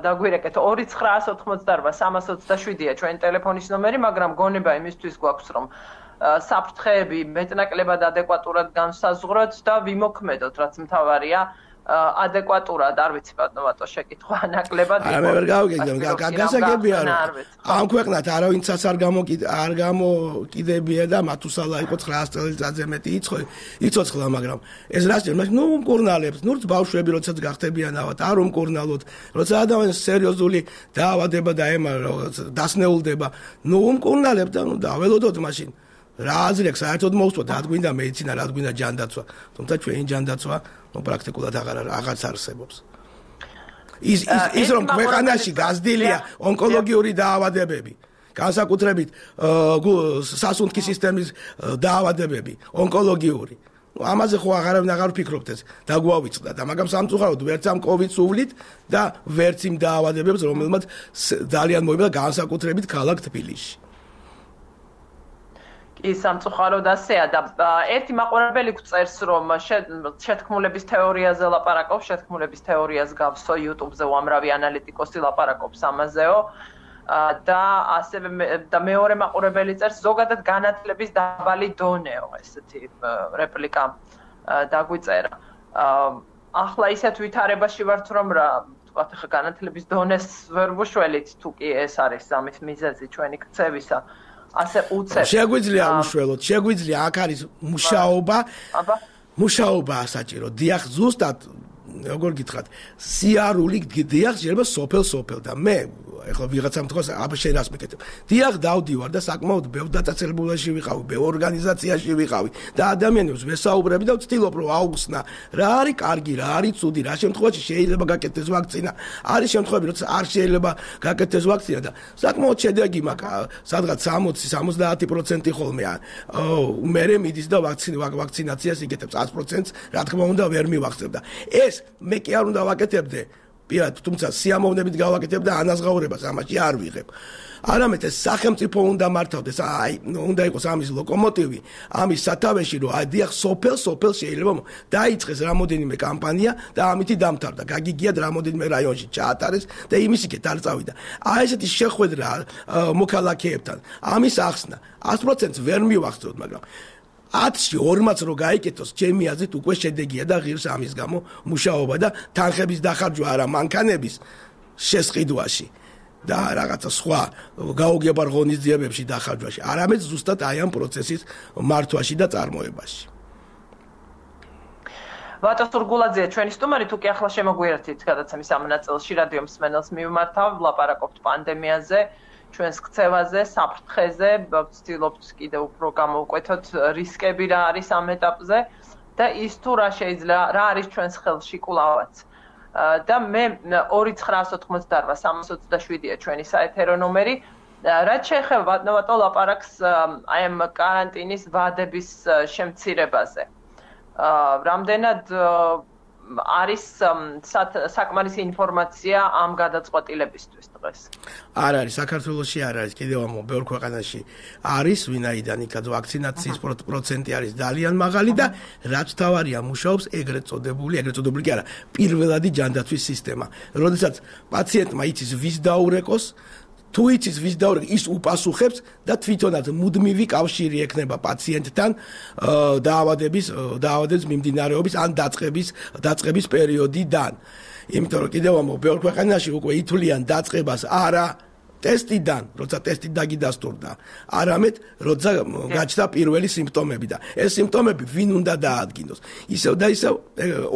დაგვირეკეთ 2988327-ია ჩვენი ტელეფონის ნომერი, მაგრამ გონება იმისთვის გვაქვს რომ საფრთხეები მეტნაკლებად ადეკვატურად განსაზღვროთ და ვიმოქმედოთ, რაც მთავარია. ადეკვატურად არ ვიცი ბატონო შეკითხვა ნაკლებად არა მე ვერ გავიგებდი გასაგებია რომ ამ ქვეყნად არავინცაც არ გამოკიდებია და მათუსალა იყო 900 წელიწადზე მეტი იცოცხლა მაგრამ ეს რა შეიძლება ნუ უმკურნალებს ნურც ბავშვები როდესაც გახდებიანავად არ უმკურნალოთ როცა ადამიანს სერიოზული დაავადება და დასნეულდება ნუ უმკურნალებთ და ნუ დაველოდოთ მაშინ რა აზრი აქვს საერთოდ მოусვათ რა გვინდა მედიცინა რა გვინდა ჯანდაცვა თუმცა ჩვენი ჯანდაცვა პრაქტიკულად აღარც არსებობს ის რომ ქვეყანაში გაზრდილია ონკოლოგიური დაავადებები განსაკუთრებით სასუნთქი სისტემის დაავადებები ონკოლოგიური ამაზე ხო აღარ ვფიქრობთ ეს დაგვავიწყდა და მაგრამ სამწუხაროდ ვერც ამ კოვიდს უვლით და ვერც იმ დაავადებებს რომელმაც ძალიან მოიბლა განსაკუთრებით ქალაქ თბილისში ის სამწუხაროდ ასეა და ერთი მაყურებელი გვწერს რომ შეთქმულების თეორიაზე ლაპარაკობს, შეთქმულების თეორიას გავსო YouTube-ზე უამრავი ანალიტიკოსი ლაპარაკობს ამაზეო და ასევე და მეორე მაყურებელი წერს ზოგადად განათლების დაბალი დონეო ესეთი რეპლიკა დაგვიწერა. ახლა ისეთ ვითარებაში ვართ რომ რა ვთქვათ ახლა განათლების დონეს ვერ ვუშველით თუ კი ეს არის ამის მიზეზი ჩვენი ქცევისა. ასე უცებ. შეგვიძლია უშველოთ, შეგვიძლია აქ არის მუშაობა საჭირო. დიახ, ზუსტად როგორ გითხრათ, სიარული დიახ შეიძლება სოფელ და მე ეხლა ვიღაცამ თქვას აბა შენ რას მეკეთებ. დიახ, დავდივარ და საკმაოდ ბევრ დაწესებულებაში ვიყავი, ბევრ ორგანიზაციაში ვიყავი და ადამიანებს ვესაუბრები და ვცდილობ რომ აუხსნა რა არის კარგი, რა არის ცუდი, რა შემთხვევაში შეიძლება გაკეთდეს ვაქცინა, არის შემთხვევები როცა არ შეიძლება გაკეთდეს ვაქცინა და საკმაოდ შედეგი მაქვს, სადღაც 60-70% ხოლმე. მე მიდის და ვაქცინაციას იკეთებს 100%-ს, რა თქმა უნდა ვერ მივახცებ და ეს მე კი არ უნდა ვაკეთებდე პირად, თუმცა სიამოვნებით გავაკეთებ და ანაზღაურებას ამაში არ ვიღებ. არამედ ეს სახელმწიფო უნდა მართავდეს, უნდა იყოს ამის ლოკომოტივი, ამის სათავეში, რომ დიახ, სოფელ შეიძლება დაიწყეს რამოდენიმე კამპანია და ამითი დამთავრდა. გაგიგიათ რამოდენიმე რაიონში ჩაატარეს და იმის იქეთ არ წავიდა. ესეთი შეხვედრა მოქალაქეებთან, ამის ახსნა 100%-ს ვერ მივახცევთ, მაგრამ 10-ში 40-ს რო გაიკეთოს, ჩემი აზრით უკვე შედეგია და ღირს ამის გამო მუშაობა და თანხების დახარჯვა არა მანქანების შესყიდვაში და რაღაცა სხვა გაუგებარ ღონისძიებებში დახარჯვაში, არამედ ზუსტად აი ამ პროცესის მართვაში და წარმოებაში. ვატო სურგულაძე, ჩვენი სტუმარი, თუ კი ახლა შემოგვიერთით გადაცემის ამ ნაწილში რადიო მსმენელს მივმართავ, ვლაპარაკობთ პანდემიაზე. ჩვენს ქცევაზე, საფრთხეზე, ვცდილობთ კიდევ უფრო გამოვკვეთოთ რისკები რა არის ამ ეტაპზე და ის თუ რა არის ჩვენს ხელში კვლავაც. და მე 2988327-ია ჩვენი საეთერო ნომერი. რაც შეეხება ბატონო ლაპარაკს აი ამ კარანტინის ვადების შემცირებაზე. რამდენად არის საკმარისი ინფორმაცია ამ გადაწყვეტილებისთვის დღეს? არ არის საქართველოში არ არის კიდევ ამ ბევრ ქვეყანაში არის ვინაიდან იქაც ვაქცინაციის პროცენტი არის ძალიან მაღალი და რაც თავარია მუშაობს ეგრეთ წოდებული კი არა პირველადი ჯანდაცვის სისტემა. როდესაც პაციენტმა იცის ვის დაურეკოს თუ იცის ვის დაურეკოს ის უპასუხებს და თვითონაც მუდმივი კავშირი ექნება პაციენტთან დაავადების მიმდინარეობის ან დაწყების პერიოდიდან. იმიტომ რომ კიდევ ამ ბევრ ქვეყანაში უკვე ითვლიან დაწყებას არა ტესტიდან, როცა ტესტი დაგიდასტურდა, არამედ როცა გაჩნდა პირველი სიმპტომები და ეს სიმპტომები ვინ უნდა დაადგინოს. ისევ და ისევ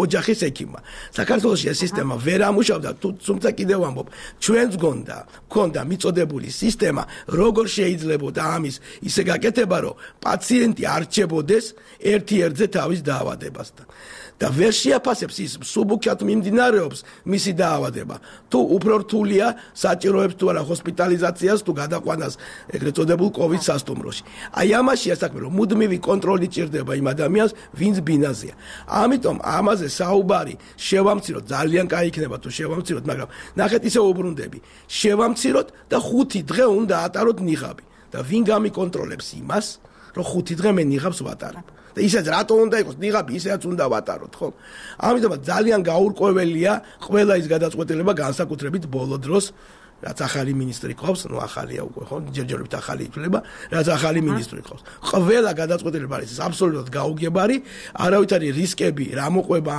ოჯახის ექიმმა. საქართველოში ეს სისტემა ვერ ამუშავდა, თუმცა კიდევ ამბობ, ჩვენს გქონდა მიწოდებული სისტემა, როგორ შეიძლებოდა ამის ისე გაკეთება, რომ პაციენტი არ რჩებოდეს ერთ-ერთზე თავის დაავადებასთან. და ვერ შეაფასებს ის სუბუქად მიმდინარეობს მისი დაავადება. თუ უფრო რთულია საჭიროებს თუ არა ჰოსპიტალიზაციას თუ გადაყვანას ეგრეთ წოდებულ COVID სასტუმროში. აი ამაშია საქმე, რომ მუდმივი კონტროლი ჭირდება იმ ადამიანს, ვინც ბინაზია. ამიტომ ამაზე საუბარი შევამციროთ, ძალიან კაი იქნება თუ შევამციროთ, მაგრამ ნახეთ ისე უბრუნდები. შევამციროთ და 5 დღე უნდა ატაროთ ნიღაბი. და ვინ გამიკონტროლებს იმას, რომ 5 დღე მე ნიღაბს ვატარებ. და ისაც რატო უნდა იყოს ნიღაბი, ისეაც უნდა ვატაროთ, ხო? ამიტომ ძალიან გაურკვეველია ყველა ის გადაწყვეტილება განსაკუთრებით ბოლო დროს, რაც ახალი მინისტრი ყავს, ნუ ახალია უკვე, ხო? ჯერჯერობით ახალი ითვლება, რაც ახალი მინისტრი ყავს. ყველა გადაწყვეტილება არის აბსოლუტურად გაუგებარი, არავითარი რისკები, რა მოყვება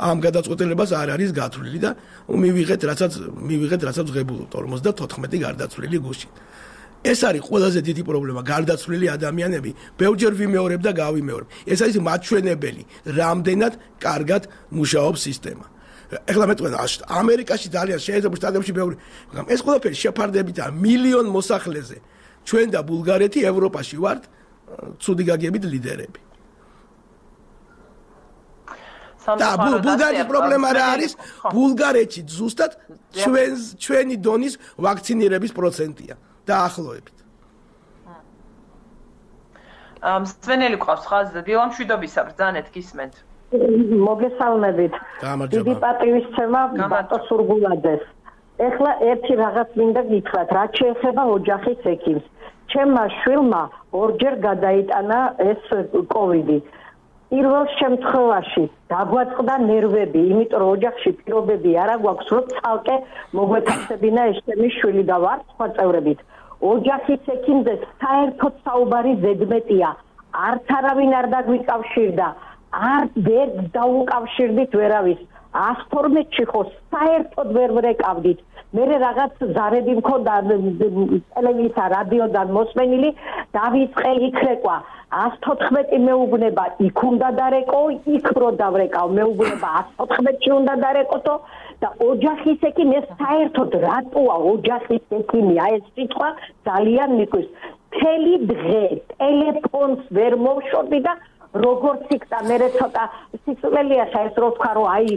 ამ გადაწყვეტილებას არ არის გათვლილი და მივიღეთ, რასაც ღებულობთ 54 გარდაცვლილი გუშინ. ეს არის ყველაზე დიდი პრობლემა, გარდაცვლილი ადამიანები, ბევრჯერ ვიმეორებ და გავიმეორებ. ეს არის მაჩვენებელი, რამდენად კარგად მუშაობს სისტემა. ეხლა მეტყვი ამერიკაში ძალიან შეერთებულ შტატებში ბევრი, მაგრამ ეს ყველაფერი შეფარდებითაა მილიონ მოსახლეზე. ჩვენ და ბულგარეთი ევროპაში ვართ ცუდი გაგებით ლიდერები. და ბულგარეთის პრობლემა რა არის? ბულგარეთში ზუსტად ჩვენი დონის ვაქცინირების პროცენტია. დაახლოებით. სვენელი ყავს ხაზზე, დილა მშვიდობისა, ბრძანეთ გისმენთ. მოგესალმებით. დიდი პატივისცემა ბატონ სურგულაძეს. ეხლა ერთი რაღაც მინდა გითხრათ, რაც შეეხება ოჯახის ექიმს. ჩემმა შვილმა ორჯერ გადაიტანა ეს კოვიდი. პირველ შემთხვევაში დაგვაწყდა ნერვები, იმიტომ რომ ოჯახში პირობები არ აქვს, რომ ცალკე მოგვეთახსებინა ეს ჩემი შვილი და ვარ სხვა წევრებით. ოჯახის ექიმზე საერთოდ საუბარი ზედმეტია. არც არავინ არ დაგვიკავშირდა, არ ვერ დაუკავშირდით ვერავის. 112-ში ხო საერთოდ ვერ ვრეკავდით. მე რაღაც ზარები მქონდა ტელევიზია, რადიოდან მოსმენილი, დავიწყე იქრეკვა. 114 მეუბნება იქ უნდა დარეკო, იქ რო დავრეკავ, მეუბნება 114-ში უნდა დარეკოთო და ოჯახის ექიმი ეს საერთოდ რატოა ოჯახის ექიმი? აი ეს სიტყვა ძალიან მიკვის. მთელი დღე ტელეფონს ვერ მოვშორდი და როგორც იქდა მე ცოტა სიცოცხლეა ეს რო თქვა რომ აი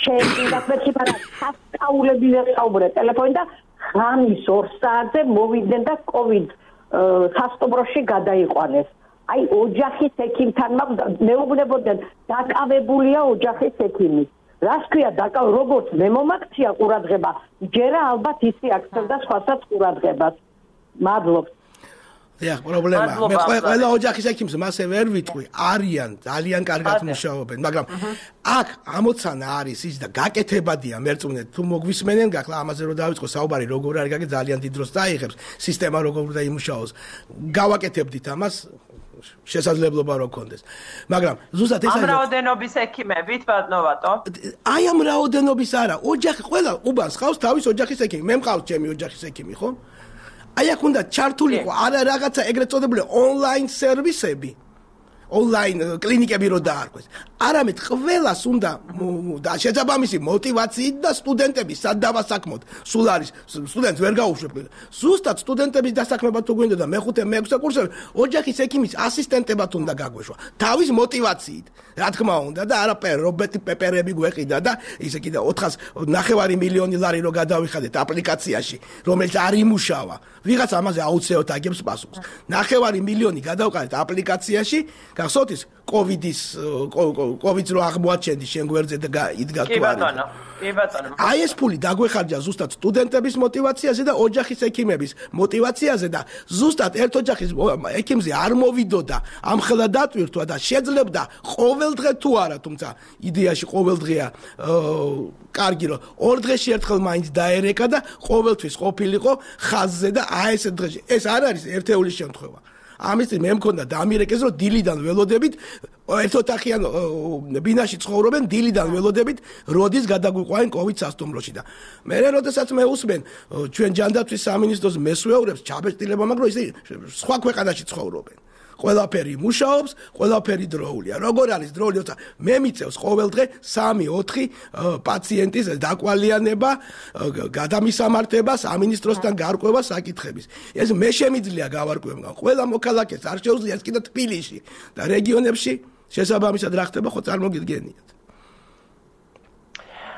შეიძლება მეთქი მაგრამ სასწაულები ვერ საუბრე ტელეფონი და ღამის 2 საათზე მოვიდნენ და COVID სასტუმროში გადაიყვანეს. აი ოჯახის ექიმთან მეუბნებოდნენ დაკავებულია ოჯახის ექიმი. რას ქვია როგორც მე მომაქცია ყურადღება, ჯერა ალბათ ისი აქცევდა სხვასაც ყურადღებას. მადლობთ. დიახ, პრობლემაა. მე ყველა ოჯახის ექიმს მასე ვერ ვიტყვი, არიან ძალიან კარგად მუშაობენ, მაგრამ აქ ამოცანა არის ის და გაკეთებადია მერწმუნეთ თუ მოგვისმენენ, გახლა ამაზე რომ დავიწყო საუბარი, როგორ არის გაკეთება, ძალიან დიდ დროს დაიღებს, სისტემა როგორ უნდა იმუშაოს. გავაკეთებდით ამას შესაძლებლობა რო გქონდეს. მაგრამ ზუსტად ეს არის ამ რაოდენობის ექიმებით ბატონო. აი ამ რაოდენობის არა, ოჯახი ყველა უბანს ხავს თავის ოჯახის ექიმი. მე მყავს ჩემი ოჯახის ექიმი, ხო? აი აქ უნდა ჩართულიყო არა რაღაცა ეგრეთ წოდებული ონლაინ სერვისები, ონლაინ კლინიკები რო დაარქვეს. არამედ ყველას უნდა და შესაბამისი мотивაციით და სტუდენტების სადავასაქმოდ. სულ არის სტუდენტს ვერ გაუშვებ. ზუსტად სტუდენტების დასაქმება თუ გვინდა და მე-5 მე-6 კურსები ოჯახის ექიმის ასისტენტებად უნდა გაგვეშვა. თავის мотивაციით. რა თქმა უნდა და არაფერ რობოტი პეპერები გვეყიდა და ისე კიდე 4.9 მილიონი ლარი რო გადავიხადეთ აპლიკაციაში, რომელიც არ იმუშავა. ვიღაც ამაზე აუცილებლად აგებს პასუხს. 9 მილიონი გადავყარეთ აპლიკაციაში, გახსოვთ ის COVID-ს რო აღმოაჩენდი შენ გვერდზე და იდგა თუ არა. კი ბატონო. აი ეს ფული დაგვეხარჯა ზუსტად სტუდენტების мотивაციაზე და ოჯახის ექიმების мотивაციაზე და ზუსტად ერთ ოჯახის ექიმზე არ მოვიდოდა ამხელა დატვირთვა და შეძლებდა ყოველდღე თუ არა, თუმცა იდეაში ყოველდღეა კარგი რომ 2 დღეში ერთხელ მაინც დაერეკა და ყოველთვის ყოფილიყო ხაზზე და აი ეს დღეში ეს არ არის ერთეულის შემთხვევა. ამის მე მქონდა დამირეკეს რომ დილიდან ველოდებით ერთოთახიან ბინაში ცხოვრობენ დილიდან ველოდებით როდის გადაგვიყვაენ COVID სასტუმროში და მე როდესაც მე usmen ჩვენ ჯანდაცვის სამინისტროს მესვეურებს ჩაბეჭდილება მაგრამ ისე სხვა ქვეყანაში ცხოვრობენ ყველაფერი მუშაობს, ყველაფერი დროულია. როგორ არის დროული, როცა მე მიწევს ყოველდღე 3-4 პაციენტის დაკვალიანება, გადამისამართება, სამინისტროსთან გარკვევა საკითხების. ეს მე შემიძლია გავარკვევო. ყველა მოქალაქეს არ შეუძლია ეს კიდე თბილისში და რეგიონებში შესაბამისად რა ხდება, ხო წარმოგიდგენიათ.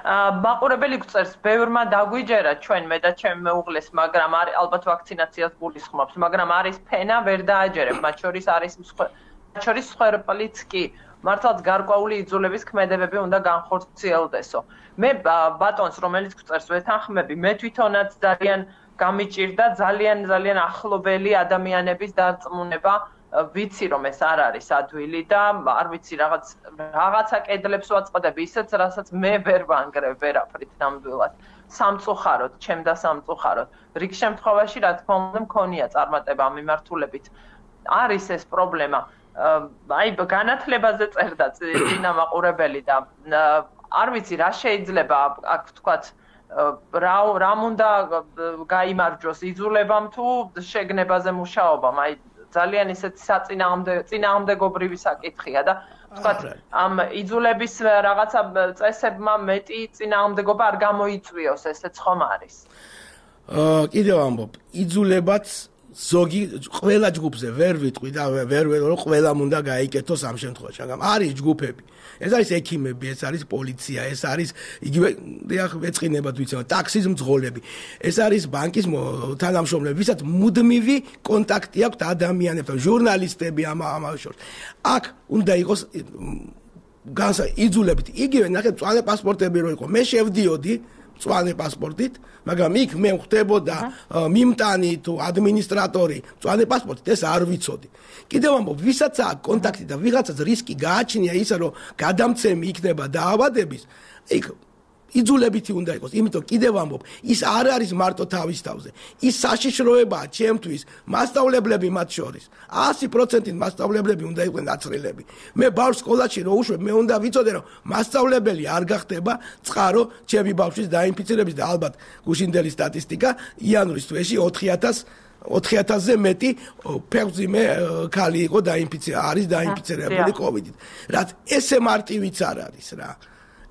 მაყურებელი გვწერს, ბევრმა დაგვიჯერა ჩვენ მე და ჩემ მეუღლეს, მაგრამ ალბათ ვაქცინაციას გულისხმობს, მაგრამ არის ფენა, ვერ დააჯერებ, მათ შორის არის მსხვერპლიც კი. მართლაც გარკვეული იძულების ქმედებები უნდა განხორციელდესო. მე ბატონს, რომელიც გვწერს, ვეთანხმები, მე თვითონაც ძალიან გამიჭირდა ძალიან ახლობელი ადამიანების დარწმუნება, ვიცი რომ ეს არ არის ადვილი და არ ვიცი რაღაცა კედლებს ვაწყდები ისეთ, რასაც მე ვერ ვანგრევ ვერაფრით ნამდვილად. სამწუხაროდ, ჩემ და სამწუხაროდ. რიგ შემთხვევაში, რა თქმა უნდა, მქონია წარმატება ამ მიმართულებით. არის ეს პრობლემა. აი, განათლებაზე წერდა წინა მაყურებელი და არ ვიცი რა შეიძლება აქ ვთქვათ რამ უნდა გაიმარჯვოს იძულებამ თუ შეგნებაზე მუშაობამ. აი ძალიან ისეთი საწინააღმდეგობრივი საკითხია და ვთქვათ ამ იძულების რაღაცა წესებმა მეტი წინააღმდეგობა არ გამოიწვიოს, ესეც ხომ არის. კიდევ ამბობ, იძულებაც ზოგი ყველა ჯგუფზე ვერ ვიტყვი და ვერ რომ ყველამ უნდა გაიკეთოს ამ შემთხვევაში, მაგრამ არის ჯგუფები. ეს არის ექიმები, ეს არის პოლიცია, ეს არის იგივე ეწყინებათ ვიცი, ტაქსის მძღოლები. ეს არის ბანკის თანამშრომლები, ვისაც მუდმივი კონტაქტი აქვთ ადამიანებთან, ჟურნალისტები ამავე შორის. აქ უნდა იყოს იძულებით. იგივე ნახეთ, მწვანე პასპორტები რო იყო, მე შევდიოდი მწვანე პასპორტით, მაგრამ იქ მე ხვდებოდა მიმტანი თუ ადმინისტრატორი მწვანე პასპორტით, ეს არ ვიცოდი. კიდევ ამბობ, ვისაც აქვს კონტაქტი და ვიღაცას რისკი გააჩნია ისა, რომ გადამცემი იქნება დაავადების, იქ იძულებითი უნდა იყოს, იმიტომ კიდევ ამბობ, ის არ არის მარტო თავის თავზე. ის საშიშროებაა ჩემთვის, მასწავლებლები მათ შორის. 100% მასწავლებლები უნდა იყვნენ აცრილები. მე ბავშვს სკოლაში რო უშვებ, მე უნდა ვიცოდე, რომ მასწავლებელი არ გახდება წყარო ჩემი ბავშვის დაინფიცირების და ალბათ გუშინდელი სტატისტიკა იანვრის თვეში 4000-ზე მეტი ფეხმძიმე ქალი იყო არის დაინფიცირებული COVID-ით. რაც ესე მარტივიც არ არის რა.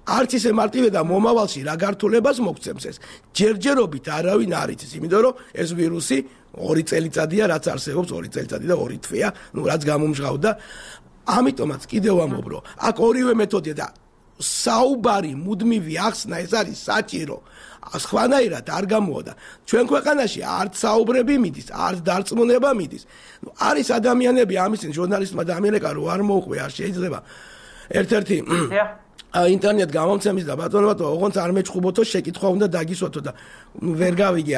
არც ისე მარტივია და მომავალში რა გართულებას მოგცემს ეს. ჯერჯერობით არავინ არ იცის, იმიტომ რომ ეს ვირუსი 2 წელიწადია, რაც არსებობს 2 წელიწადი და 2 თვეა, რაც გამომჟღავდა. ამიტომაც კიდევ ამბობ, რომ აქ ორივე მეთოდია და საუბარი მუდმივი ახსნა ეს არის საჭირო. სხვანაირად არ გამოვიდა. ჩვენ ქვეყანაში არც საუბრები მიდის, არც დარწმუნება მიდის. არის ადამიანები ამის ჟურნალისტმა და ამერიკა რო არ მოუყვე, არ შეიძლება. ერთ-ერთი ინტერნეტ გამომცემის და ბატონო, ოღონდ არ მეჩხუბოთო, შეკითხვა უნდა დაგისვათო და ვერ გავიგე,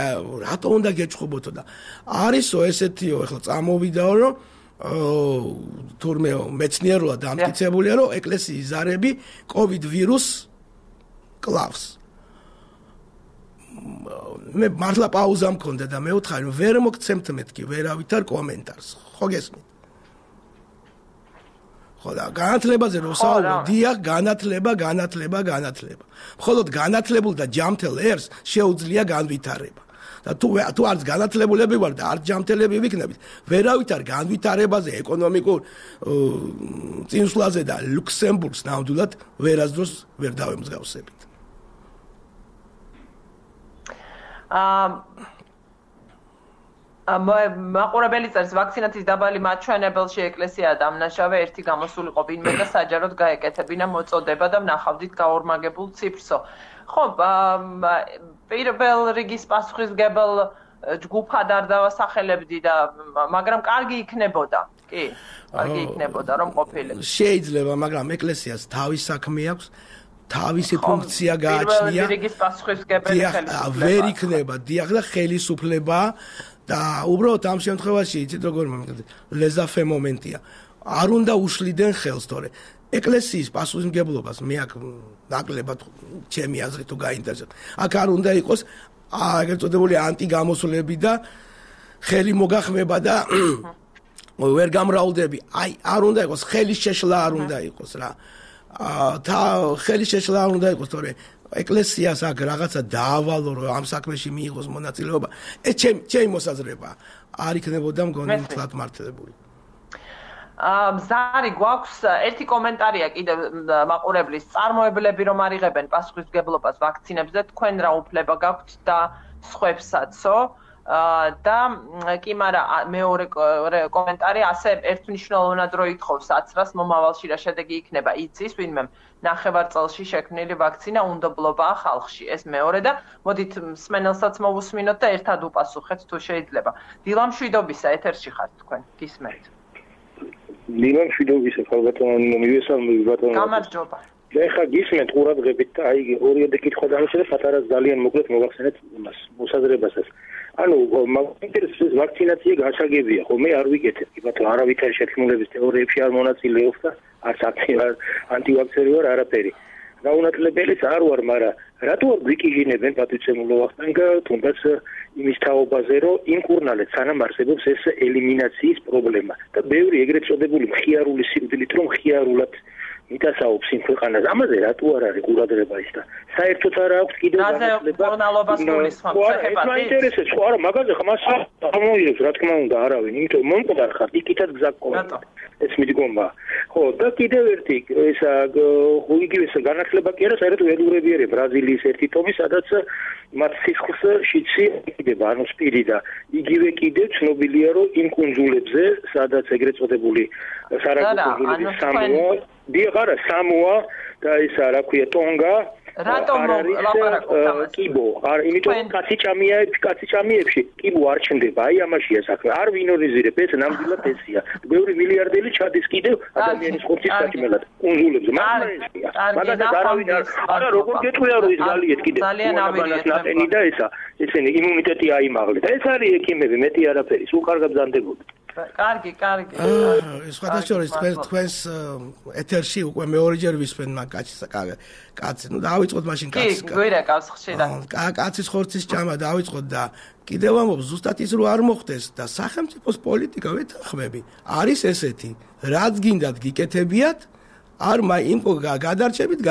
რატო უნდა გეჩხუბოთო და არისო ესეთიო, ეხლა წამოვიდაო, რომ თურმე მეცნიერულად დამტკიცებულია, რომ ეკლესიის ზარები COVID ვირუსს კლავს. მე მართლა პაუზა მქონდა და მე ვთხარი, რომ ვერ მოგცემთ მეთქი ვერავითარ კომენტარს. ხო გესმით? ხოდა განათლებაზე რო საუბრობ, დიახ, განათლება. მხოლოდ განათლებულ და ჯამთელ ერს შეუძლია განვითარება. და თუ არც განათლებულები ვარ და არც ჯამთელები ვიქნებით, ვერავითარ განვითარებაზე, ეკონომიკურ წინსვლაზე და ლუქსემბურგს ნამდვილად ვერასდროს ვერ დავემსგავსებით. მაყურებელი წერს, ვაქცინაციის დაბალი მაჩვენებელში ეკლესია დამნაშავე ერთი გამოსულიყო ვინმე და საჯაროდ გაეკეთებინა მოწოდება და ვნახავდით გაორმაგებულ ციფრსო. ხო, პირველ რიგის პასუხისმგებელ ჯგუფად არ დავასახელებდი და მაგრამ კარგი იქნებოდა. კი, კარგი იქნებოდა რომ ყოფილიყო. შეიძლება, მაგრამ ეკლესიას თავის საქმე აქვს. თავისი ფუნქცია გააჩნია. პირველ რიგის პასუხისმგებელი ხელისუფლება. ვერ იქნება, დიახ და ხელისუფლება და უბრალოდ ამ შემთხვევაში იცით როგორ მომიგდეთ ლეზაფე მომენტია. არ უნდა უშლიდენ ხელს, თორე ეკლესიის პასუხისმგებლობას მე აქ ნაკლებად ჩემი აზრით თუ გაინტერესებთ. აქ არ უნდა იყოს ეგრეთ წოდებული ანტიგამოსვლები და ხელი მოგახმება და ვერ გამრავლდები. აი არ უნდა იყოს ხელის შეშლა არ უნდა იყოს რა. და ხელის შეშლა არ უნდა იყოს, თორე ეკლესიას აქ რაღაცა დაავალო, რომ ამ საქმეში მიიღოს მონაწილეობა. ეს ჩემი მოსაზრება არ იქნებოდა მგონი თლად მართლებული. ზარი გვაქვს ერთი კომენტარია კიდევ მაყურებლის, წარმოებლები რომ არიღებენ პასუხისმგებლობას ვაქცინებზე, თქვენ რა უფლება გაქვთ და სხვებსაცო? და კი, მაგრამ მეორე კომენტარი ასე ერთმნიშვნელოვნად რო ითხოვს აცრას მომავალში რა შედეგი იქნება იცის ვინმე ნახევარწელში შექმნილი ვაქცინა უნდობლობაა ხალხში ეს მეორე და მოდით მსმენელსაც მოვუსმინოთ და ერთად უპასუხეთ თუ შეიძლება დილა მშვიდობისა ეთერში ხართ თქვენ გისმენთ დილა მშვიდობისა ხალბატონო მივესალმები ბატონო გამარჯობა ეხლა გისმენთ ყურადღებით და აი ორიოდე კითხვა დამიშვა პატარას ძალიან მოკლედ მოვახსენეთ იმას მოსაზრებასაც ანუ მაგინტერესებს ვაქცინაცია გასაგებია ხო მე არ ვიკეთებ კი ბატონო არავითარი შეთქმულების თეორიებში არ მონაწილეობს და არც ანტივაქსერი ვარ არაფერი გაუნათლებელიც არ ვარ მაგრამ რატო არ გვიკიჟინებენ პატივცემულო ვახტანგა თუნდაც იმის თაობაზე რომ იმ კურნალეთ სანამ არსებობს ეს ელიმინაციის პრობლემა და ბევრი ეგრეთ წოდებული მხიარული სიკვდილით რომ მხიარულად მიტასაობს იმ ქვეყანას ამაზე რატო არ არის ყურადღება ის და საერთოდ არ აქვს კიდევ განათლება ეს მაინტერესებს ხო არა მაგაზე ხმას ამოიღებს რა თქმა უნდა არავინ იმიტომ მომკვდარ ხარ იქითაც გზა გქონდა ეს მიდგომა ხო და კიდევ ერთი ესა იგივე განათლება კი არა საერთოდ ველურებიერე ბრაზილიის ერთი ტომი სადაც მათ სისხლს შიცი იყიდება ანუ სპირი და იგივე კიდევ ცნობილია რომ იმ კუნძულებზე სადაც ეგრეთ წოდებული სარაგო კუნძულები სამოა დიახარა სამოა და ისა რა ქვია ტონგა რატომ ლაპარაკობთ ამას კიბო არ იმიტომ კაციჭამიებში კიბო არ ჩნდება აი ამაშია საქმე არ ვინორიზირებ ეს ნამდვილად ესია ბევრი მილიარდელი ჩადის კიდევ ადამიანის ხორცის საჭმელად კუნძულებზე მაგალითად არავინ არა როგორ გეტყვია რომ ის გალიეთ კიდევ ძალიან ნატენი და ესა ესენი იმუნიტეტი აიმაღლეთ ეს არის ექიმები მეტი არაფერი სულ კარგად ბრძანდებოდი კარგი სხვადასხვა თქვენს ეთერში უკვე მეორეჯერ ვისმენ მაგ კაცს ნუ დავიწყოთ მაშინ კაცს გვერაკავს ხშირად კაცის ხორცის ჭამა დავიწყოთ და კიდევ ამბობ ზუსტად ის რო არ მოხდეს და სახელმწიფოს პოლიტიკა ვეთანხმები არის ესეთი რაც გინდათ გიკეთებიათ არ იმ გადარჩებით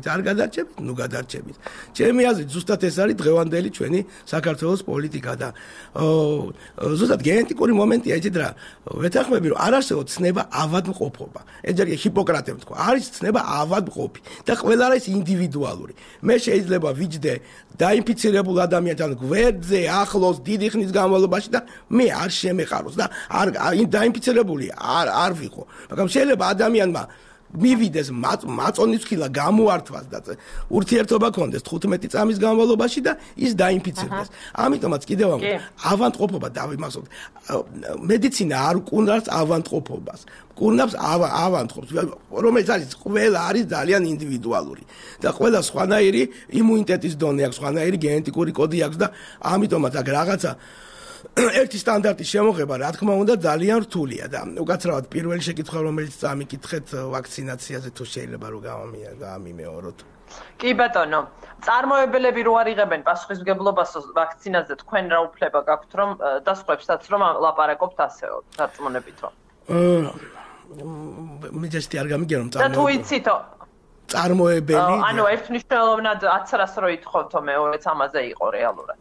არ გადარჩებით ნუ გადარჩებით ჩემი აზრით ზუსტად ეს არის დღევანდელი ჩვენი საქართველოს პოლიტიკა და ზუსტად გენეტიკური მომენტია იცით რა ვეთანხმები რომ არ არსებობს ცნება ავადმყოფობა ეს ჯერ ჰიპოკრატემ თქვა არის ცნება ავადმყოფი და ყველა არის ინდივიდუალური მე შეიძლება ვიჯდე დაინფიცირებულ ადამიანთან გვერდზე ახლოს დიდი ხნის განმავლობაში და მე არ შემეყაროს და არ დაინფიცირებული არ ვიყო მაგრამ შეიძლება ადამიანმა მივიდეს მაწონის ხილა გამოართვას და ურთიერთობა ქონდეს 15 წამის განმავლობაში და ის დაინფიცირდეს. ამიტომაც კიდევ ავადმყოფობა დავიმახსოვრდეთ. მედიცინა არ კუნავს ავადმყოფობას. კუნავს ავადმყოფს, რომელიც არის ყველა არის ძალიან ინდივიდუალური და ყველა სხვანაირი იმუნიტეტის დონე აქვს, სხვანაირი გენეტიკური კოდი აქვს და ამიტომაც აქ რაღაცა ერთი სტანდარტის შემოღება, რა თქმა უნდა, ძალიან რთულია და უკაცრავად პირველი შეკითხვა, რომელიც წამიკითხეთ ვაქცინაციაზე თუ შეიძლება რომ გამიმეოროთ. კი ბატონო, წარმოებელები რო არ იღებენ პასუხისმგებლობას ვაქცინაზე, თქვენ რა უფლება გაქვთ რომ და სხვებსაც რომ ლაპარაკობთ ასეო, დარწმუნებითო. მე ჯერ არ გამიგერო და თუ იცითო წარმოებელი ანუ ერთმნიშვნელოვნად 1000-ს რო ითხოვთო მეორეც ამაზე იყო რეალურად.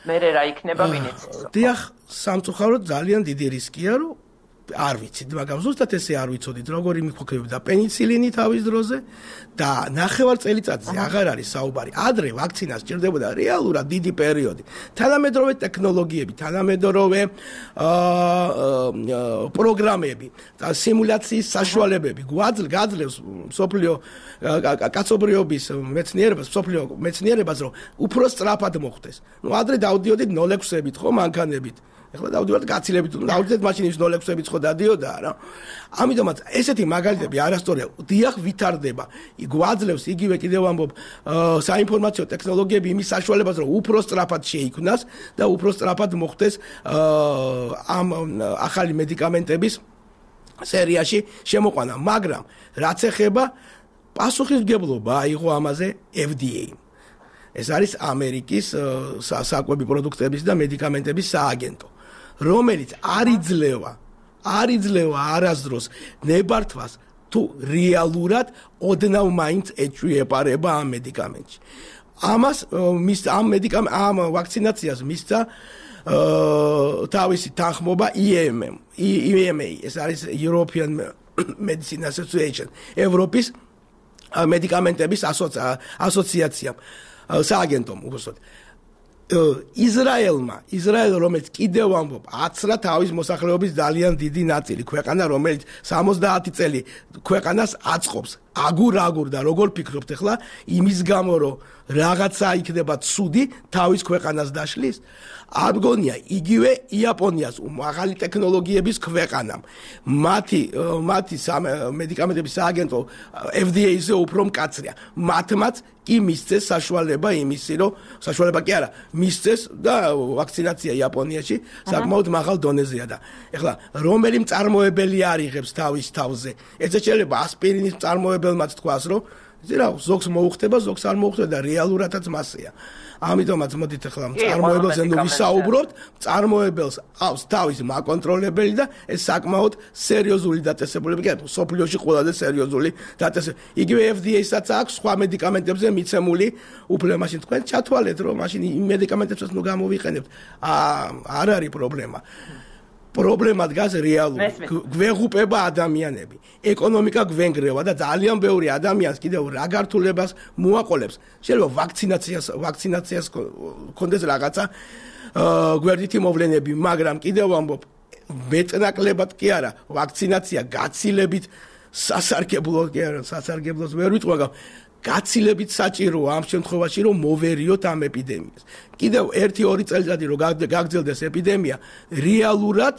მე რა იქნება ვინიცის. დიახ, სამწუხაროდ ძალიან დიდი რისკია, რომ არ ვიცით, მაგრამ ზუსტად ესე არ ვიცოდით, როგორი მიხვექებდა პენიცილინი თავის დროზე და ნახევარ წელიწადზე აღარ არის საუბარი. ადრე ვაქცინა სჭირდებოდა რეალურად დიდი პერიოდი. თანამედროვე ტექნოლოგიები, თანამედროვე პროგრამები და სიმულაციის საშუალებები გაძლევს მსოფლიო კაცობრიობის მეცნიერებას, მსოფლიო მეცნიერებას, რომ უფრო სწრაფად მოხდეს. ნუ ადრე დავდიოდით 0.6-ებით ხო მანქანებით. ეხლა დავდივართ გაცილებით, დავდივართ მაშინის 0.6-ებით ხო დადიოდა რა. ამიტომაც ესეთი მაგალითები არასწორია. დიახ ვითარდება. გვაძლევს იგივე კიდევ ამბობ საინფორმაციო ტექნოლოგიები იმის საშუალებას, რომ უფრო სწრაფად შეიქმნას და უფრო სწრაფად მოხდეს ამ ახალი მედიკამენტების სერიაში შემოყვანა, მაგრამ რაც ეხება პასუხისმგებლობა აიღო ამაზე FDA. ეს არის ამერიკის საკვები პროდუქტების და მედიკამენტების სააგენტო, რომელიც არ იძლევა არასდროს ნებართვას თუ რეალურად ოდნავ მაინც ეჭვიეპარება ამ მედიკამენტში. ამ ვაქცინაციას მისცა თავისი თანხმობა EMA, ეს არის European Medicine Association, ევროპის მედიკამენტების ასოციაცია. სააგენტომ უბრალოდ ისრაელ რომელიც კიდევ ამბობ 10-რა თავის მოსახლეობის ძალიან დიდი ნაწილი ქვეყანა რომელიც 70 წელი ქვეყანას აწყობს აგურ და როგორ ფიქრობთ ახლა იმის გამო რომ რაღაცა იქნება ცუდი თავის ქვეყანას დაშლის არ მგონია იგივე იაპონიას მაღალი ტექნოლოგიების ქვეყანამ მათი მედიკამენტების სააგენტო FDA-ზე უფრო მკაცრია მათმაც კი მისცეს საშუალება იმისი რომ საშუალება კი არა მისცეს და ვაქცინაცია იაპონიაში საკმაოდ მაღალ დონეზეა და ეხლა რომელი მწარმოებელი არ იღებს თავის თავზე ეცე შეიძლება ასპირინის მწარმოებელმაც თქვას რომ ზოგს მოუხდება ზოგს არ მოუხდება და რეალურადაც მასეა ამიტომაც მოდით ახლა მწარმოებელზე ნუ ვისაუბროთ მწარმოებელს აქვს თავის მაკონტროლებელი და ეს საკმაოდ სერიოზული დაწესებულება კი არა სოფლიოში ყველაზე სერიოზული დაწესებულება იგივე FDA-საც აქვს სხვა მედიკამენტებზე მიცემული უფლება მაშინ თქვენ ჩათვალეთ რომ მაშინ იმ მედიკამენტებსაც ნუ გამოვიყენებთ არ არის პრობლემა დგას რეალურად გვეღუპება ადამიანები ეკონომიკა გვენგრევა და ძალიან ბევრი ადამიანს კიდევ რა გართულებას მოაყოლებს შეიძლება ვაქცინაციას კონდეს რაღაცა გვერდითი მოვლენები მაგრამ კიდევ ამბობ მეტნაკლებად კი არა ვაქცინაცია გაცილებით სასარგებლო კი არა სასარგებლოს ვერ ვიტყვი მაგრამ გაცილებით საჭიროა ამ შემთხვევაში რომ მოვერიოთ ამ ეპიდემიას. კიდევ 1-2 წელიწადი რომ გაგრძელდეს ეპიდემია, რეალურად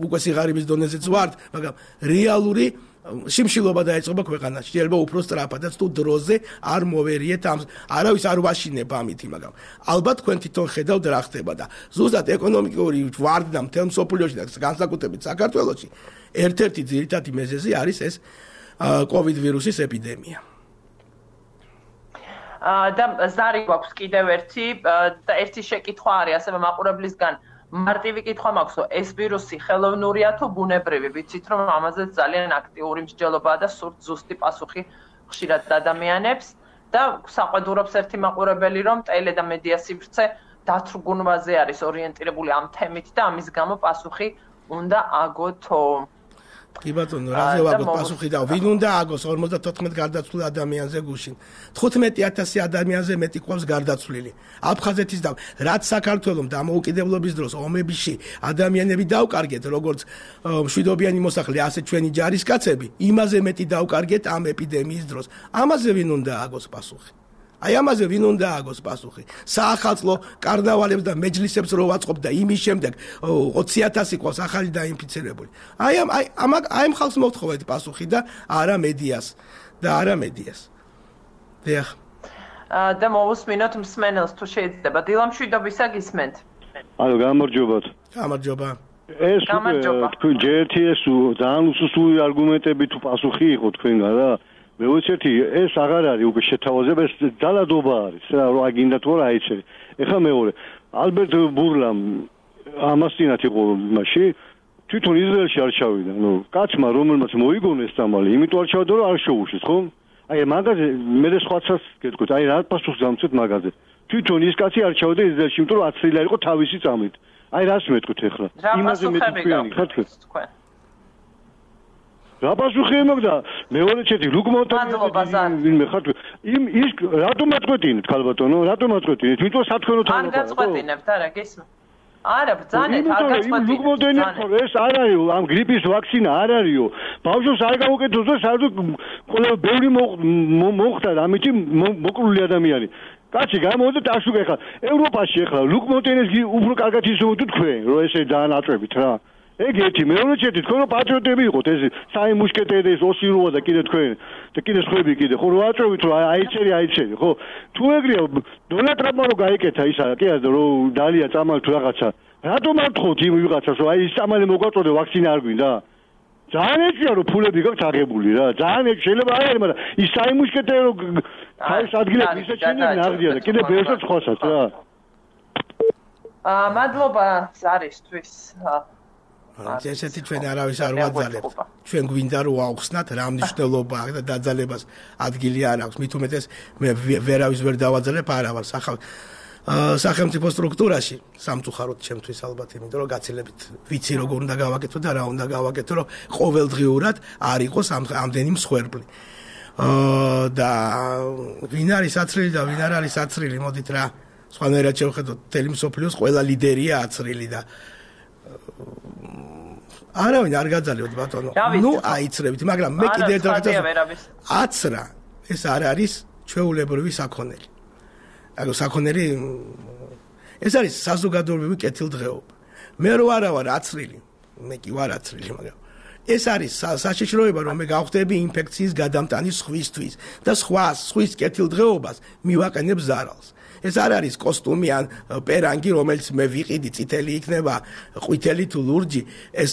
უკვე სიღარიბის დონეზეც ვართ, მაგრამ რეალური შიმშილობა დაეწყობა ქვეყანაში. შეიძლება უფრო სწრაფადაც თუ დროზე არ მოვერიეთ ამ არავის არ ვაშინებ ამითი, მაგრამ ალბათ თქვენ თვითონ ხედავთ რა ხდება და ზუსტად ეკონომიკური ვარდნა მთელ მსოფლიოში და განსაკუთრებით საქართველოში ერთ-ერთი ძირითადი მიზეზი არის ეს COVID ვირუსის ეპიდემია. და ზარი გვაქვს კიდევ ერთი შეკითხვა არის ასევე მაყურებლისგან მარტივი კითხვა მაქვს რომ ეს ვირუსი ხელოვნურია თუ ბუნებრივი ვიცით რომ ამაზე ძალიან აქტიური მსჯელობაა და სურთ ზუსტი პასუხი ხშირად ადამიანებს და საყვედურობს ერთი მაყურებელი რომ ტელე და მედია სივრცე დათრგუნვაზე არის ორიენტირებული ამ თემით და ამის გამო პასუხი უნდა აგოთო კი ბატონო, რაზე ვაგოთ პასუხი და ვინ უნდა აგოს 54 გარდაცვლილ ადამიანზე გუშინ. 15000 ადამიანზე მეტი ყავს გარდაცვლილი. აფხაზეთის და რაც საქართველოს დამოუკიდებლობის დროს ომებში ადამიანები დაუკარგეთ, როგორც მშვიდობიანი მოსახლე, ასე ჩვენი ჯარისკაცები, იმაზე მეტი დაუკარგეთ ამ ეპიდემიის დროს. ამაზე ვინ უნდა აგოს პასუხი? აი ამაზე ვინ უნდა აგოს პასუხი? საახალწლო კარნავალებს და მეჯლისებს რო ვაწყობ და იმის შემდეგ 20000 ყავს ახალი დაინფიცირებული. აი ამ ხალხს მოვთხოვეთ პასუხი და არა მედიას. დიახ. და მოვუსმინოთ მსმენელს თუ შეიძლება. დილამშვიდობისა გისმენთ. ალო, გამარჯობათ. გამარჯობა. ეს თქვენ ჯერტიეს ძალიან უსუსული არგუმენტები თუ პასუხი იყო თქვენგან რა. მე ვიცით ეს აღარ არის უკვე შეთავაზება ეს ძალადობა არის რა რა გინდა თუ რა აიცე ეხლა მეორე ალბერტ ბურლამ ამას წინათ იყო იმაში თვითონ ისრაელში არ ჩავიდა ნუ კაცმა რომელმაც მოიგონეს დამალი იმიტომ არ ჩავდა რომ არ შეუშლის ხო აი მაგაზე მე სხვაცას გეტყვით აი რა პასუხს დამცეთ მაგაზე თვითონ ის კაცი არ ჩავდა ისრაელში იმიტომ რომ აცრილა იყო თავისი წამით აი რას მეტყვით ეხლა იმაზე მეტყვიანი ხარ თქვენ რა პასუხი მოგდა მეორე ჩეთი ლუკმონტანი ვინმე ხარ იმ ის რატომ აწყვეტინეთ ქალბატონო რატომ აწყვეტინეთ იმიტომ სათხოვნო არ გაწყვეტინებთ არა გესმ არა ბძანეთ არ გაწყვეტინებთ ლუკმონტანი ეს არ არის ამ გრიპის ვაქცინა არ არისო ბავშვს არ გავუკეთოს და საერთოდ ყველა ბევრი მოხდა ამით მოკლული ადამიანი კაცი გამოდეთ აშუქე ხა ევროპაში ახლა ლუკმონტანის უფრო კარგად ისმოდით თქვენ რომ ესე დაანაწვევით რა ეგ ერთი მეორე ჩეთი თქვენ რომ პატრიოტები იყოთ ეს საი მუშკეტერი ეს ოსიროა და კიდე თქვენ და კიდე სხვები კიდე ხო რა აწვევით რომ აიცერი ხო თუ ეგრეა დონალდ ტრამპმა რო გაიკეთა ისა კი არა რომ დალია წამალი თუ რაღაცა რატომ არ თხოვთ იმ ვიღაცას რომ აი ის წამალი მოგვაწოდე ვაქცინა არ გვინდა ძალიან ეჭია რომ ფულები გაქვს აღებული რა ძალიან ეჭ შეიძლება არ არის მაგრამ ის საი მუშკეტერი რო თავის ადგილებს ისე ჩინები ნაღდია და კიდე ბევრსაც ხოსაც რა მადლობა ზარისთვის ესეთი ჩვენ არავის არ ვაძალებთ. ჩვენ გვინდა რომ აუხსნათ რა მნიშვნელობა აქვს და დაძალებას ადგილი არ აქვს. მით უმეტეს მე ვერავის ვერ დავაძალებ, არა ვარ სახელმწიფო სტრუქტურაში, სამწუხაროდ ჩემთვის ალბათ, იმიტომ რომ გაცილებით ვიცი როგორ უნდა გავაკეთო და რა უნდა გავაკეთო, რომ ყოველდღიურად არ იყოს ამდენი მსხვერპლი. და ვინ არის აცრილი და ვინ არ არის აცრილი, მოდით რა სხვანაირად შევხედოთ თელი მსოფლიოს ყველა ლიდერია აცრილი და არავინ არ გაძალიოთ ბატონო. ნუ აიცრებით, მაგრამ მე კიდევ ერთხელ აცრა ეს არ არის ჩვეულებრივი საქონელი. ანუ საქონელი ეს არის საზოგადოებრივი კეთილდღეობა. მე რო არა ვარ აცრილი, მე კი ვარ აცრილი, მაგრამ ეს არის საშიშროება, რომ მე გავხდები ინფექციის გადამტანის სხვისთვის და სხვის კეთილდღეობას მივაყენებ ზარალს. ეს არ არის კოსტუმი ან პერანგი, რომელიც მე ვიყიდი, წითელი იქნება, ყვითელი თუ ლურჯი, ეს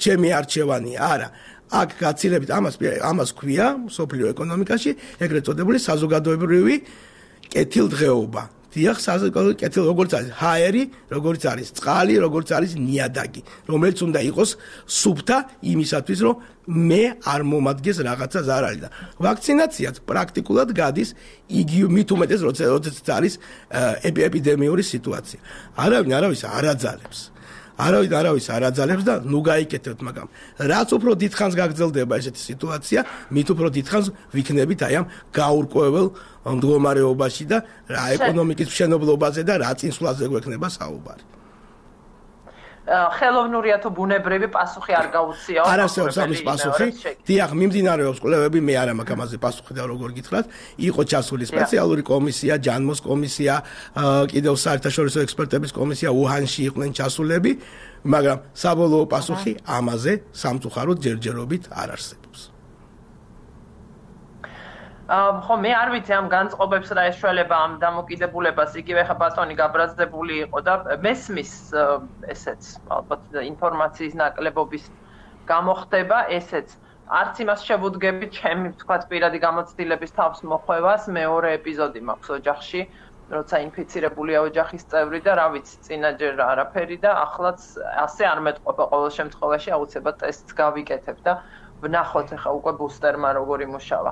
ჩემი არჩევანია, არა. აქ გაცილებით ამას ქვია სოფლიო ეკონომიკაში ეგრეთ წოდებული საზოგადოებრივი კეთილდღეობა. დიახ, საზოგადოებრივი კეთილდღეობა, როგორც არის ჰაერი, როგორც არის წყალი, როგორც არის ნიადაგი, რომელიც უნდა იყოს სუფთა იმისათვის, რომ მე არ მომადგეს რაღაცა ზარალი და ვაქცინაციაც პრაქტიკულად გადის იგივე მით უმეტეს როდესაც არის ეპიდემიური სიტუაცია. არავინ არავის არ აძალებს. არავის არ აძალებს და ნუ გაიკეთებთ, მაგრამ რაც უფრო დიდხანს გაგრძელდება ესეთი სიტუაცია, მით უფრო დიდხანს ვიქნებით აი ამ გაურკვეველ მდგომარეობაში და რა ეკონომიკის მშენებლობაზე და რა წინსვლაზე გვექნება საუბარი. ხელოვნურია თუ ბუნებრივი პასუხი არ გაუწიაო. არ არსებობს ამის პასუხი. დიახ, მიმდინარეობს კვლევები, მე არ მაქვს ამაზე პასუხი და როგორ გითხრათ, იყო ჩასული სპეციალური კომისია, ჯანმოს კომისია, კიდევ საერთაშორისო ექსპერტების კომისია უჰანში იყვნენ ჩასულები, მაგრამ საბოლოო პასუხი ამაზე სამწუხაროდ ჯერჯერობით არ არსებობს. ხო მე არ ვიცი ამ განწყობებს რა ეშველება ამ დამოკიდებულებას იგივე ხა ბატონი გაბრაზდებული იყო და მესმის ესეც ალბათ ინფორმაციის ნაკლებობის გამოხდება ესეც არც იმას შევუდგებით ჩემი თქვათ პირადი გამოცდილების თავს მოხვევას მეორე ეპიზოდი მაქვს ოჯახში როცა ინფიცირებულია ოჯახის წევრი და რა ვიცი წინაჯერ არაფერი და ახლაც ასე არ მეტყობა ყოველ შემთხვევაში აუცილებლად ტესტს გავიკეთებ და ვნახოთ ახლა უკვე ბუსტერმა როგორ იმუშავა.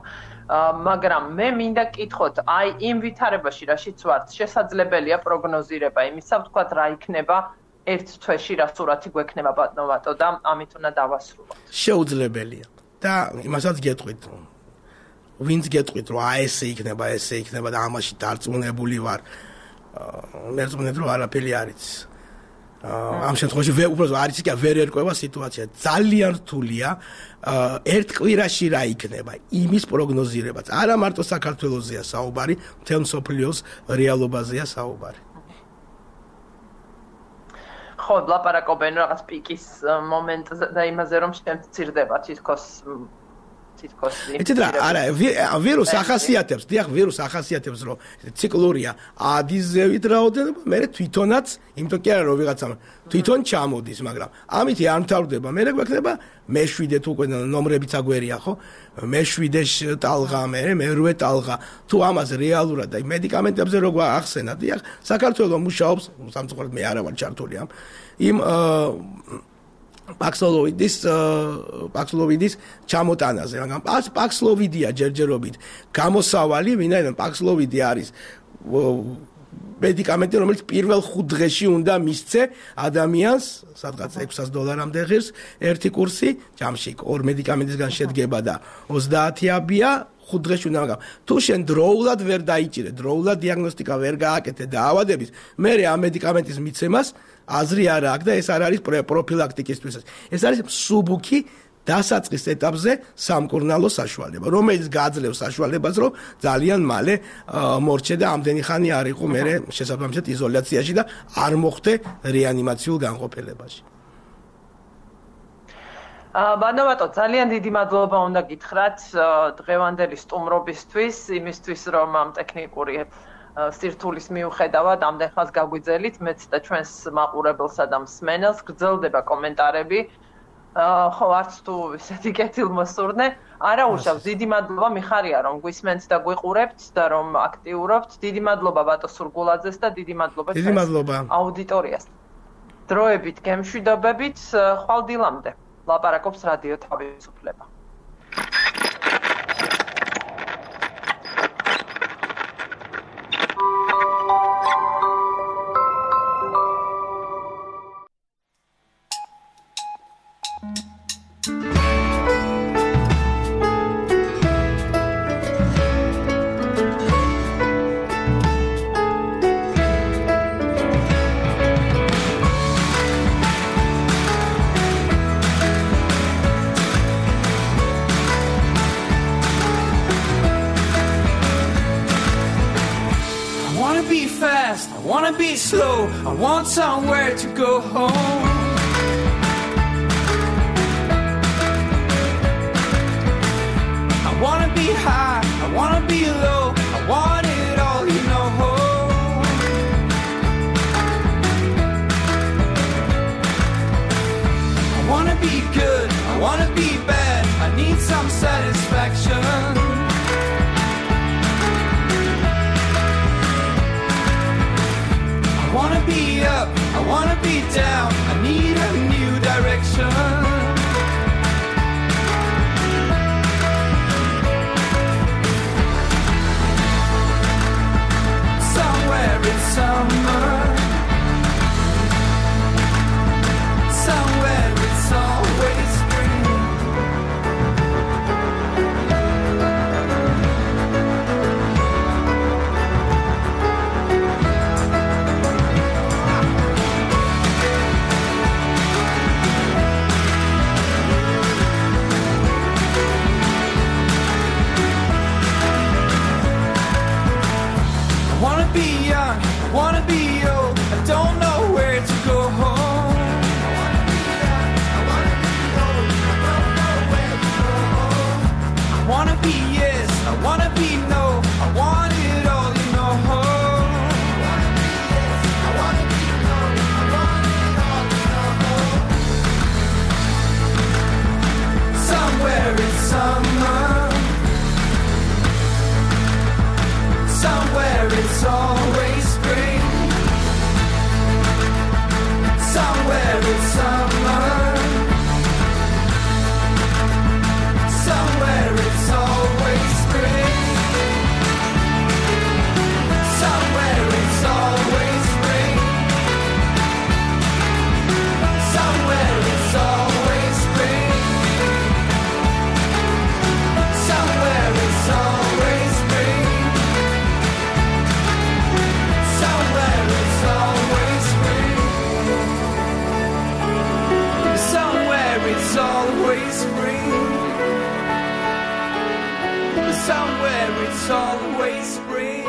მაგრამ მე მინდა კითხოთ, აი იმ ვითარებაში რაშიც ვართ, შესაძლებელია პროგნოზირება იმისა, ვთქვათ რა იქნება ერთ თვეში რა სურათი გვექნება ბატონო და ამით უნდა დავასრულოთ. შეუძლებელია და იმასაც გეტყვით. ვინც გეტყვით რომ ესე იქნება და ამაში დარწმუნებული ვარ. მე რწმუნებ რომ არაფერი არ იცის. ამ შემთხვევაში უბრალოდ არ იცი კი ვერ ერკვევა სიტუაცია. ძალიან რთულია ერთ კვირაში რა იქნება იმის პროგნოზირებაც. არა მარტო საქართველოსზეა საუბარი, მთელ მსოფლიოს რეალობაზეა საუბარი. ხო, ლაპარაკობენ რაღაც პიკის მომენტზე და იმაზე რომ შემცირდება თითქოს იცით რა, არა, ვირუს ახასიათებს, დიახ, ვირუს ახასიათებს, რომ ციკლურია ადის ზევით რაოდენობა, მე თვითონაც, იმიტომ კი არა რომ ვიღაცამ თვითონ ჩამოდის, მაგრამ ამითი არ მთავრდება, მე გვექნება მე-7 თუ უკვე ნომრებიც აგვერია, ხო? მე-7 ტალღა, მე-8 ტალღა, თუ ამას რეალურად და მედიკამენტებზე რო გვახსენა, დიახ, საქართველოს მუშაობს, სამწუხაროდ მე არა ვარ ჩართული ამ იმ პაქსლოვიდის ჩამოტანაზე, მაგრამ პაქსლოვიდია ჯერჯერობით გამოსავალი, ვინაიდან პაქსლოვიდი არის მედიკამენტი, რომელიც პირველ 5 დღეში უნდა მისცე ადამიანს, სადღაც $600-მდე ღირს ერთი კურსი, ჯამში 2 მედიკამენტისგან შედგება და 30-ია 5 დღეში უნდა, მაგრამ თუ შენ დროულად ვერ დაიჭირე, დროულად დიაგნოსტიკა ვერ გააკეთე და ავადების, მე ამ მედიკამენტის მიცემას აზრი არ აქვს და ეს არ არის პროფილაქტიკისთვის. ეს არის მსუბუქი დასაწყის ეტაპზე სამკურნალო საშუალება, რომელიც გააძლევს საშუალებას, რომ ძალიან მალე მორჩე და ამდენი ხანი არ იყო მე შესაბამისად იზოლაციაში და არ მოხვდე რეანიმაციულ განყოფილებაში. ბანოვატო, ძალიან დიდი მადლობა უნდა გითხრათ დღევანდელი სტუმრობისთვის, იმისთვის რომ ამ ტექნიკური სირთულის მიუხედავად ამდენ ხანს გაგვიძელით, მეც და ჩვენს მაყურებელსა და მსმენელს გრძელდება კომენტარები. ხო, არც თუ ისეთი კეთილმოსურნე, არა უშავს, დიდი მადლობა, მიხარია რომ გვისმენთ და გვიყურებთ და რომ აქტიურობთ. დიდი მადლობა ბატონ სურგულაძეს და დიდი მადლობა აუდიტორიას. დროებით, გემშვიდობებით, ხვალ დილამდე. ლაპარაკობს რადიო თავისუფლება. be fast, I wanna be slow, I want somewhere to go home. I wanna be high, I wanna be low, I want it all, you know. I wanna be good, I wanna be bad, I need some satisfaction. I wanna be up, I wanna be down, I need a new direction. Somewhere in summer, somewhere it's always spring. I wanna be young, I wanna be old, I don't know where to go home. I wanna be yes, I wanna be no, I want it all, you know. I wanna be no, I want it all, you know. Somewhere in summer, somewhere it's always spring. Somewhere it's summer, somewhere it's always spring. Somewhere it's always spring. Somewhere it's always spring. Somewhere it's always spring. Somewhere it's always spring. Somewhere it's always spring. Somewhere it's always spring.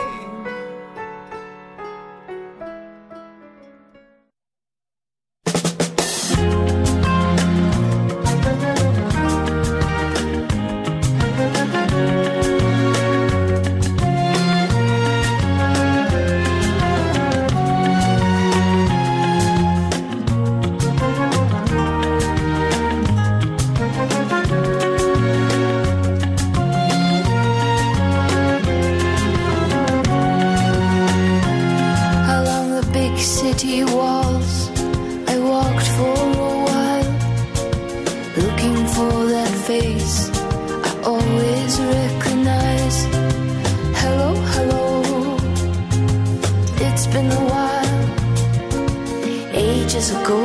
City walls, I walked for a while, looking for that face I always recognize. Hello, hello, it's been a while, ages ago,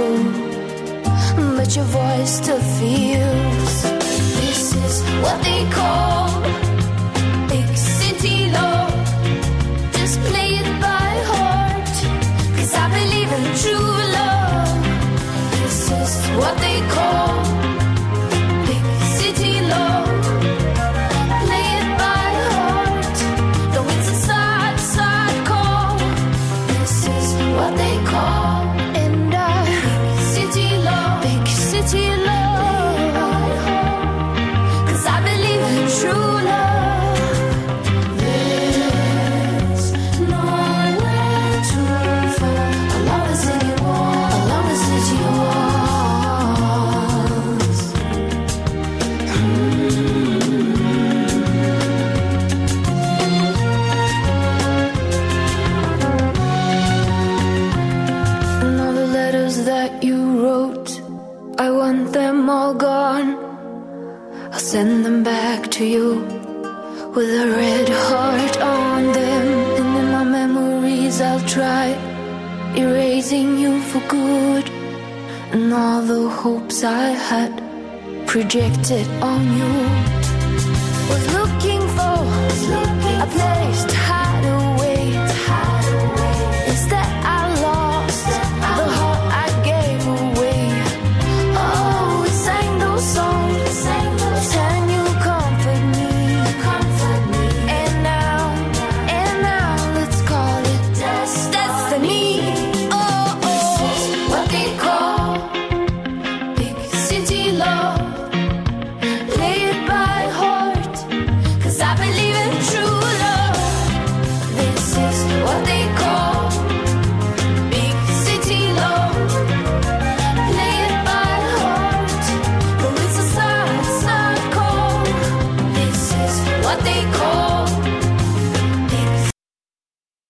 but your voice still feels. This is what they call big city love. Just play it by heart, 'cause I believe in true love. This is what they call big city love. Play it by heart, though it's a sad, sad call. This is what they call, and big city love, big city love. 'Cause I believe in true love. There's nowhere to fall along the city wall, along the city walls. And all the letters that you wrote, I want them all gone. I'll send them back to you with a red heart on them. And in my memories I'll try erasing you for good, and all the hopes I had projected on you. Was looking for a place to hide.